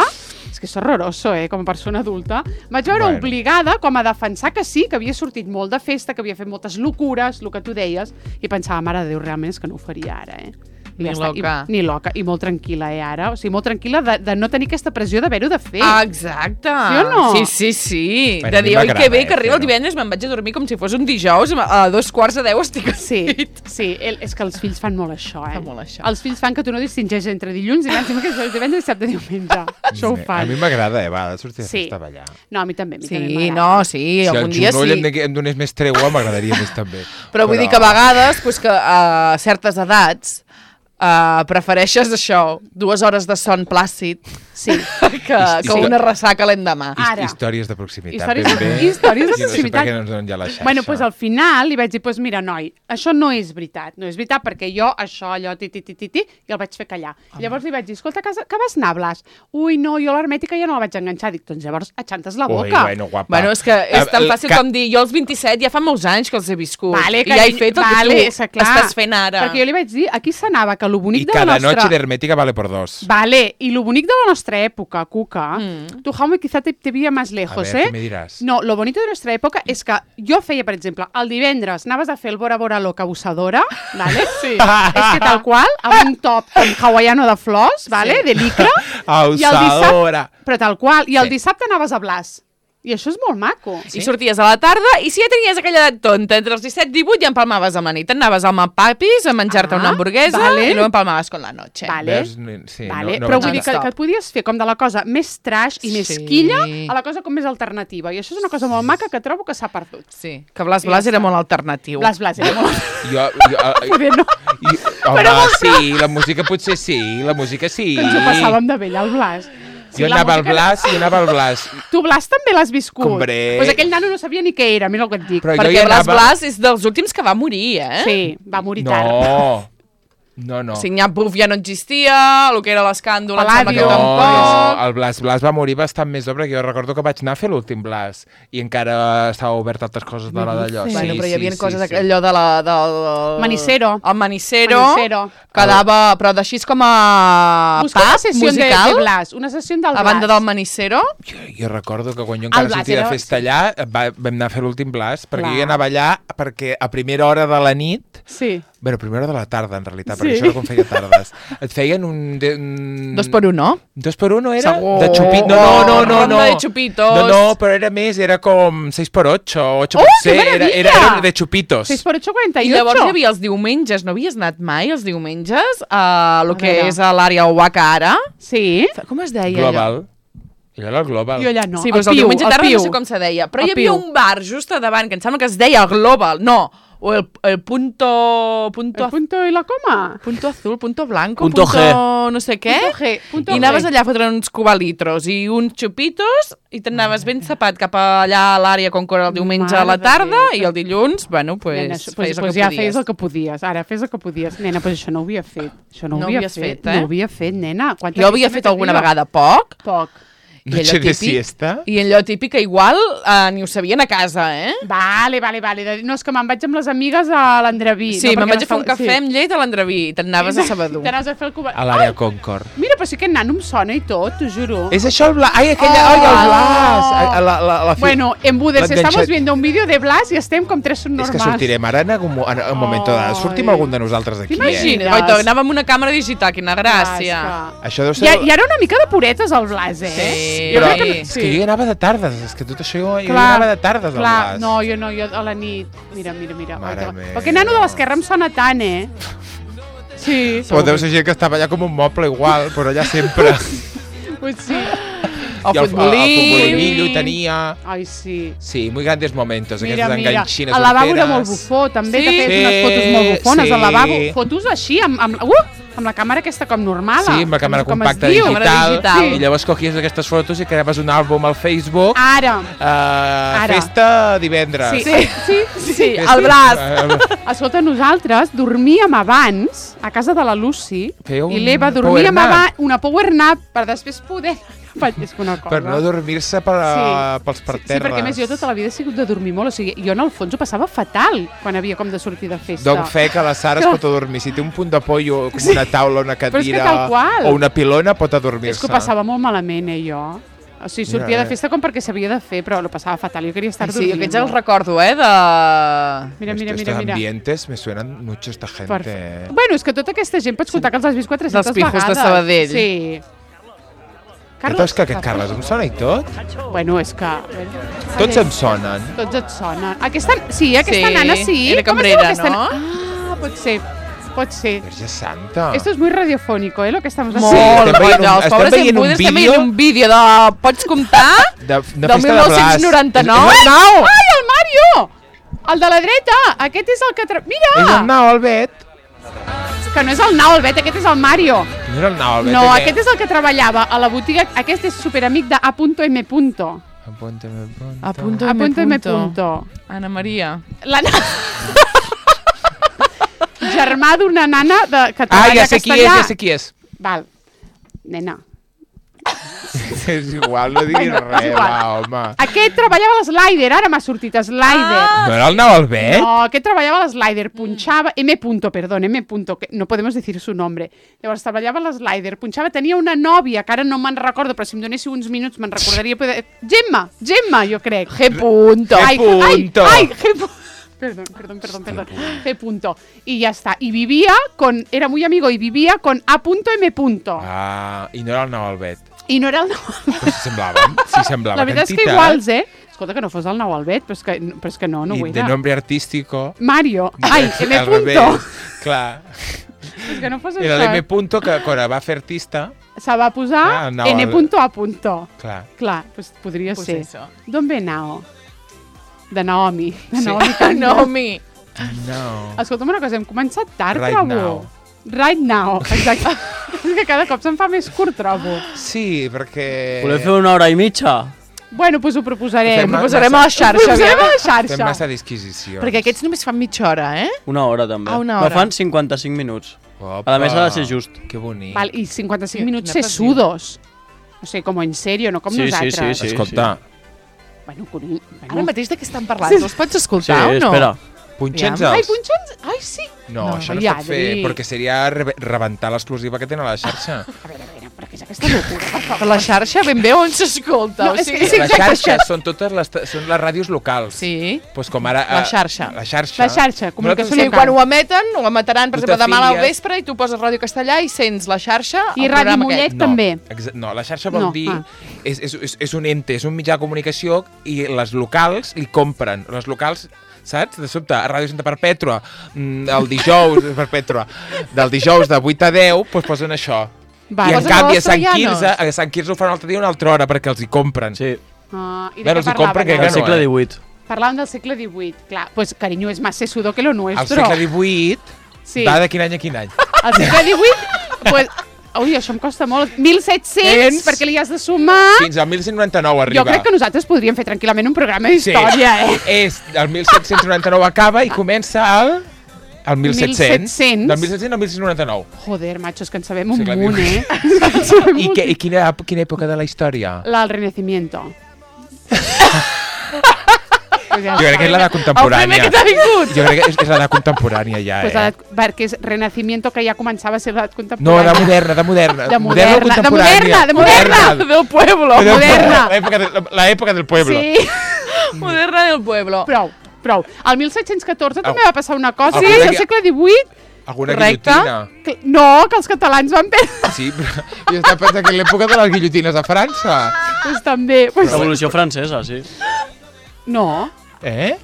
és que és horroroso, com a persona adulta, em vaig veure obligada com a defensar que sí, que havia sortit molt de festa, que havia fet moltes locures, el que tu deies, i pensava, mare de Déu, realment és que no ho faria ara, Ni loca. Ni loca, i molt tranquil·la, ara. O sigui, molt tranquil·la de no tenir aquesta pressió d'haver-ho de fer. Ah, exacte. Sí o no? Sí. De dir, oi, que bé, que arriba el divendres, me'n vaig a dormir com si fos un dijous, a 2:15 estic Sí, és que els fills fan molt això, Fan molt això. Els fills fan que tu no distingeixes entre dilluns, divendres, dissabte, diumenge. Això ho fan. A mi m'agrada, va, de sortir de festa a ballar. No, a mi també. Sí, no, sí, algun dia sí. Si el genoll em donés més tregua, m'agradaria més també. Però vull dir que a vegades, que a certes edats, prefereixes això, 2 hores de son plàcid que una ressaca l'endemà. Històries de proximitat. Històries de proximitat. No sé per què no ens donen ja la xarxa. Bueno, doncs al final li vaig dir, mira, noi, això no és veritat. No és veritat perquè jo això, allò, i el vaig fer callar. Llavors li vaig dir, escolta, que vas anar, Blas? Ui, no, jo l'hermètica ja no la vaig enganxar. Dic, doncs llavors aixantes la boca. Bueno, és que és tan fàcil com dir, jo als 27 ja fa molts anys que els he viscut. I ja he fet el que tu estàs fent ara. Perquè jo li vaig dir, aquí s'anava que lo bonic de la nostra... nostra... Y cada noche l'hermètica vale por 2. Vale, y lo bonic de la nostra època, Cuca, tu, Jaume, quizá te veia más lejos, A ver, ¿qué me dirás? No, lo bonito de nuestra època és que jo feia, per exemple, el divendres anaves a fer el Bora Bora Loca abusadora, ¿vale? Sí. És que tal qual, amb un top hawaiano de flors, ¿vale? De licra. Abusadora. Però tal qual, i el dissabte anaves a Blas. I això és molt maco. I sorties a la tarda i si ja tenies aquella edat tonta, entre els 17 i 18 ja empalmaves amb la nit. Anaves al Papis a menjar-te una hamburguesa i no empalmaves con la noche. Però vull dir que et podies fer com de la cosa més trash i més quilla a la cosa com més alternativa. I això és una cosa molt maca que trobo que s'ha perdut. Sí, que Blas era molt alternatiu. Blas era molt... Poder no. Home, sí, la música potser sí, la música sí. Ens ho passàvem de vell, el Blas. Jo anava al Blas i anava al Blas. Tu, Blas, també l'has viscut? Hombre. Pues aquell nano no sabia ni què era, mira el que et dic. Però perquè Blas és dels últims que va morir, Sí, va morir tard. No. O sigui, Nyapuf ja no existia, el que era l'escàndol, em sembla que Palladio. tampoc. El Blas va morir bastant més d'obra, que jo recordo que vaig anar a fer l'últim Blas i encara estava obert altres coses de la d'allò. Bueno, però hi havia coses, allò de del... Manicero. El Manicero. Que dava, però d'així com a Busca una sessió musical. de Blas, una sessió del Blas. A banda del Manicero. Jo recordo que quan jo encara sortia de festa allà, vam anar a fer l'últim Blas, perquè jo anava allà perquè a primera hora de la nit... Sí. Bueno, a primera hora de la tarda, en realitat, perquè això era com feia tardes. Et feien un... 2x1, no? 2x1 era? Segur. De xupitos. No. Ronda de xupitos. No, però era més, era com 6x8, 8x6, que meravella! era de xupitos. 6x8, 48. I llavors hi havia els diumenges, no havies anat mai els diumenges a lo que és a l'àrea Oaca ara? Sí. Com es deia Global. Allò era el Global. Jo allà no. Sí, però el diumenge tarda no sé com se deia. Però hi havia un bar just a davant que em sembla que es deia el Global. No, o el punto... El punto i la coma? Punto azul, punto blanco, Punto G. no sé què. Punto G, punto I anaves G. allà a fotre uns cubalitros i uns xupitos i t'anaves ben sapat cap allà a l'àrea com que era el diumenge a la Mare de tarda Déu. i el dilluns, bueno, Nena, feies el que ja podies. feies el que podies. Ara fes el que podies. Nena, però això no ho havia fet. Això no ho No havia havies fet. fet, eh? No ho havia fet, nena. Jo ho havia fet alguna vegada poc. Poc. Noche de siesta? I allò típic que igual ni ho sabien a casa, eh? Vale. No, és que me'n vaig amb les amigues a l'Andreví. Sí, no, me'n vaig a fer un sí. cafè amb llet a l'Andreví i t'anaves a Sabadell. T'anaves a fer el cubà. A l'àrea Concord. Mira, però sí que aquest nano em sona i tot, t'ho juro. És això el Blas? Ai, aquella... Ai, el Blas! Bueno, en Budes L'enganxat. estamos viendo un vídeo de Blas i estem com tres subnormals. És que sortirem ara en un moment de... Sortim algun de nosaltres d'aquí, Imagina't, Goito, anàvem amb una càmera digital, quina gràcia. Això deu ser... I ara una mica de puretes al Blas, eh? Sí. Jo Però crec que... és que jo hi anava de tardes, és que tot això jo hi Clar, anava de tardes al clar, Blas. no, jo a la nit. Mira. Mare meva. Perquè nano de l'esquerra em sona tant, eh? Sí. Però deu ser gent que estava allà com un moble igual, però allà sempre. Pues sí. El futbolillo hi tenia... Ai, sí. Sí, muy grandes momentos, Mira, aquestes enganxines el lavabo era horteres. molt bufó, també, Sí? que feies unes fotos molt bufones Sí. al lavabo. Fotos així, amb la càmera aquesta com normal. Sí, amb la càmera com es compacta diu. digital, Sí. i llavors cogies aquestes fotos i creaves un àlbum al Facebook. Ara. Festa divendres. Sí, el Blas. Escolta, nosaltres dormíem abans a casa de la Lucy Fèieu i un l'Eva power dormíem nap. abans una power nap per després poder... És que una cosa. Per no dormir-se pels parterres. Sí, perquè a més jo tota la vida he sigut de dormir molt, o sigui, jo en el fons ho passava fatal quan havia com de sortir de festa. Doc fe que la Sara es pot adormir. Si té un punt de pollo, com una taula, una Però és que cadira tal qual. o una pilona, pot adormir-se. És que ho passava molt malament, jo. O sigui, sortia de festa com perquè s'havia de fer, però lo passava fatal. Jo queria estar Sí, dormint. jo aquests els recordo, de... Mira. Estos ambientes me suenan mucho esta gente. Bueno, és que tota aquesta gent pots contar que els has vist 400 Dels pijos vegades. de Sabadell. Sí. Carles, que aquest Carles em sona i tot? Bueno, és que... Tots em sonen. Tots et sonen. Aquesta nana sí. Era Com es diu cambrera, aquesta no? Ah, pot ser. Verge Santa. Esto es muy radiofónico, lo que estamos Molt, haciendo. els pobres estem veient un vídeo de... Pots comptar? de Del festa de Blas. 1999. Ai, el Mario! El de la dreta! Aquest és el que... Mira! És el Nau Albet. Que no és el Nau Albet, aquest és el Mario. No era el Nau Albet. No, aquest és el que treballava a la botiga. Aquest és superamic de A.M. A.M. Ana Maria. La germà d'una nana que treballa ja sé qui és, castellà. ja sé qui és. Val. Nena. És igual, no diguis res, igual. va, home. Aquest treballava a l'Slider, ara m'ha sortit Slider. No era el Nau Albet? No, aquest treballava a l'Slider, punxava... M. que no podemos decir su nombre. Llavors treballava a l'Slider, punxava, tenia una nòvia, que ara no me'n recordo, però si em donéssiu uns minuts me'n recordaria... Gemma, jo crec. G. Punto. Ai, punto. G. Perdón. G. Punto. Y ya está. Y vivía con... Era muy amigo y vivía con A.M. Ah, i no era el Nau Albet. I no era el Nau Però si semblava La veritat és que iguals, Escolta, que no fos el Nau Albet, però és que no ho I era. de nombre artístico... Mario. Ai, M. Al Punto. revés, clar. És que no fos Era això. l'M punto que quan va fer artista... Se va posar Nau N. Albet. A. Clar. Clar, pues podria Pues ser. eso. D'on ve Nao? De Naomi. De Sí. Naomi Campbell. Naomi. No. Escolta'm una cosa, hem començat tard, Right trobo. now. Right now, exacte. És que cada cop se'n fa més curt, trobo. Sí, perquè... Voleu fer 1 hora i mitja? Bueno, doncs ho proposarem. Ho proposarem a la xarxa. Ho proposarem a la Fem xarxa. massa disquisicions. Perquè aquests només fan mitja hora, eh? 1 hora, també. Una No hora. fan 55 minuts. Opa, A més, ha de ser just. Que bonic. Val, i 55 minuts Quina sesudos. O sigui, com en sèrio, no com Sí, sí, nosaltres. sí. Escolta, Bueno, Ara mateix de què estan parlant? Els pots escoltar o no? espera. punxa'ns Ai, els... punxons? Ai, sí. No, No, això no ja, es pot fer, Adri. perquè seria rebentar l'exclusiva que tenen a la xarxa. A veure, però què és aquesta locura? Per favor. Per la xarxa ben bé on s'escolta. No, o és sigui... que- Les xarxes són totes les ràdios locals. Sí. Pues com ara... La xarxa. La xarxa. La xarxa, comunicació Sí, local. quan ho emeten, ho emetran, per Tu exemple, demà al t'afilies. vespre i tu poses Ràdio Castellà i sents la xarxa, I el Ràdio programa Mollet aquest. també. No, la xarxa vol No, dir... ah. És un ente, és un mitjà de comunicació i les locals li compren. Les locals, saps? De sobte, a Ràdio Santa Perpètua, el dijous, Perpètua, del dijous de 8 a 10, doncs posen això. Vale. I en Posen canvi els a Sant Quirze ho fan un altre dia una altra hora perquè els hi compren. Sí, I de Bueno, què els hi compren, parlaven? que del no, segle eh? XVIII. Parlàvem del segle XVIII. Clar, pues, carinyo, és más sesudo que lo Al nuestro. segle XVIII, Sí. va de quin any a quin any? Al segle XVIII, pues... Ui, això em costa molt. 1700, perquè li has de sumar... Fins al 1199 arriba. Jo crec que nosaltres podríem fer tranquil·lament un programa d'història, És el 1799 acaba i comença el 1700. 1700. Del 1700 al 1699. Joder, macho, és que en sabem un Segle munt, XVIII. En sabem I, un- i quina època de la història? El Renacimiento. Pues ja Jo crec que és l'edat El primer contemporània. que t'ha vingut. Jo crec que és l'edat contemporània ja, Pues perquè és Renacimiento, que ja començava a ser l'edat No, contemporània. de moderna, de moderna. De Moderna o moderna, de contemporània? moderna, de moderna. Del pueblo. Moderna. L'època del pueblo. Sí, Moderna del pueblo. prou, prou. Al 1714 també va passar una cosa. Sí, Sí, al que- segle XVIII... Alguna Correcte. guillotina. No, que els catalans van perdre. Sí, però jo estava pensant que l'època de les guillotines a França. Pues també. Pues... Revolució francesa, sí. No.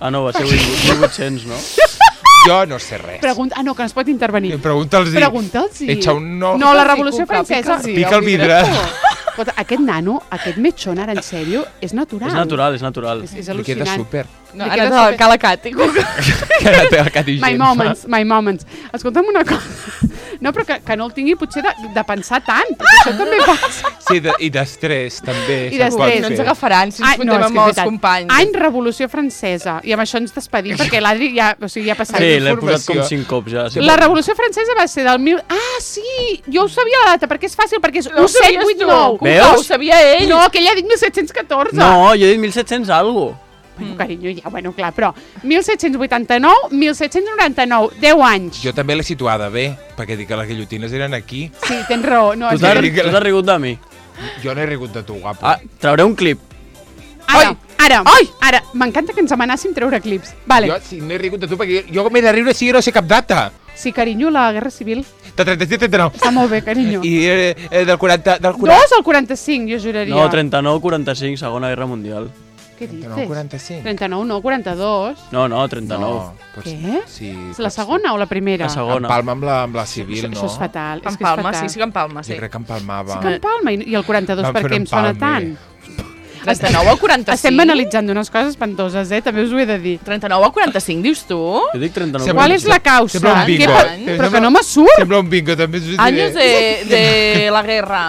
Ah, no, va ser 1800, no? Jo no sé res. Pregunta... Ah, no, que no es pot intervenir. Pregunta'ls-hi. Pregunta'ls. Echa un no. No, la Pica'ls-hi, Revolució Cuca, Francesa... pica'ls-hi. Pica el vidre. Escolta, aquest nano, aquest metxón, ara en sèrio, és natural. És natural, és natural. És Li queda al·lucinant. súper. No, Li ara queda te cala Cati. Que ara té el cat i My gent. moments, my moments. Escolta'm una cosa. No, però que no el tingui potser de pensar tant, perquè això també passa. Sí, i d'estrès, també. I se'n pot d'estrès. No ens fer. agafaran si ens fotem és amb que és els veritat. companys. Any Revolució Francesa. I amb això ens despedim, perquè l'Adri ja, o sigui, ja ha passat. Sí, l'he posat informació. com 5 cops ja. Sí. La Revolució Francesa va ser del 1000... Ah, sí! Jo ho sabia la data, perquè és fàcil, perquè és No ho sabies tu. 1789. Cuca, Veus? ho sabia ell. No, que ella ha dit 1714. No, jo he dit 1700 algo. Bueno, carinyo, ja, bueno, clar, però 1789, 1799, 10 anys. Jo també l'he situada bé, perquè dic que les guillotines eren aquí. Sí, tens raó. No, Tu és t'has que... tu t'has rigut de mi. Jo no he rigut de tu, guapo. Ah, trauré un clip. Ara, m'encanta que ens amenàssim treure clips. Vale. Jo sí, no he rigut de tu, perquè jo m'he de riure si jo no sé cap data. Sí, carinyo, la Guerra Civil. De 37-39. Està molt bé, carinyo. I del 40... Del 40... Dos al 45, jo juraria. No, 39-45, Segona Guerra Mundial. Què dices? 45. 39, no, 42. No, 39. No, pots... Què? Sí, És la segona o la primera? La segona. Empalma amb la civil, no? Això és fatal. És En que és Palma, fatal. sí que en Palma, sí. Jo crec que empalmava. Sí que en Palma, i el 42 Vam per fer què un em sona empalme. tant? 39 a 45. Estem banalitzant unes coses espantoses, també us ho he de dir. 39 a 45, dius tu? Jo dic 39. Sembla- Qual és la causa? Sembla un bingo. Però que no me surt. Sembla un bingo, també us ho diré. Años de la guerra.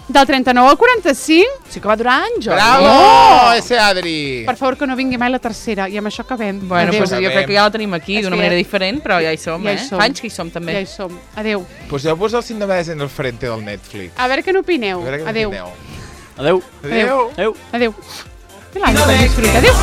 Del 39 al 45, Sí que va durar anys, Jordi. Bravo, ese Adri! per favor que no vingui mai la tercera, i amb això acabem. Bueno, Adéu. pues jo crec que ja la tenim aquí És d'una que manera ja- diferent, però ja hi som, ja hi som. Fa anys que hi som, també. Ja hi som. Adéu. Poseu-vos el síndrome en el frente del Netflix. A veure què n'opineu. A veure què Adéu. opineu. Adéu. Adéu. Adéu. Adéu. Que l'any que disfruta. Adéu.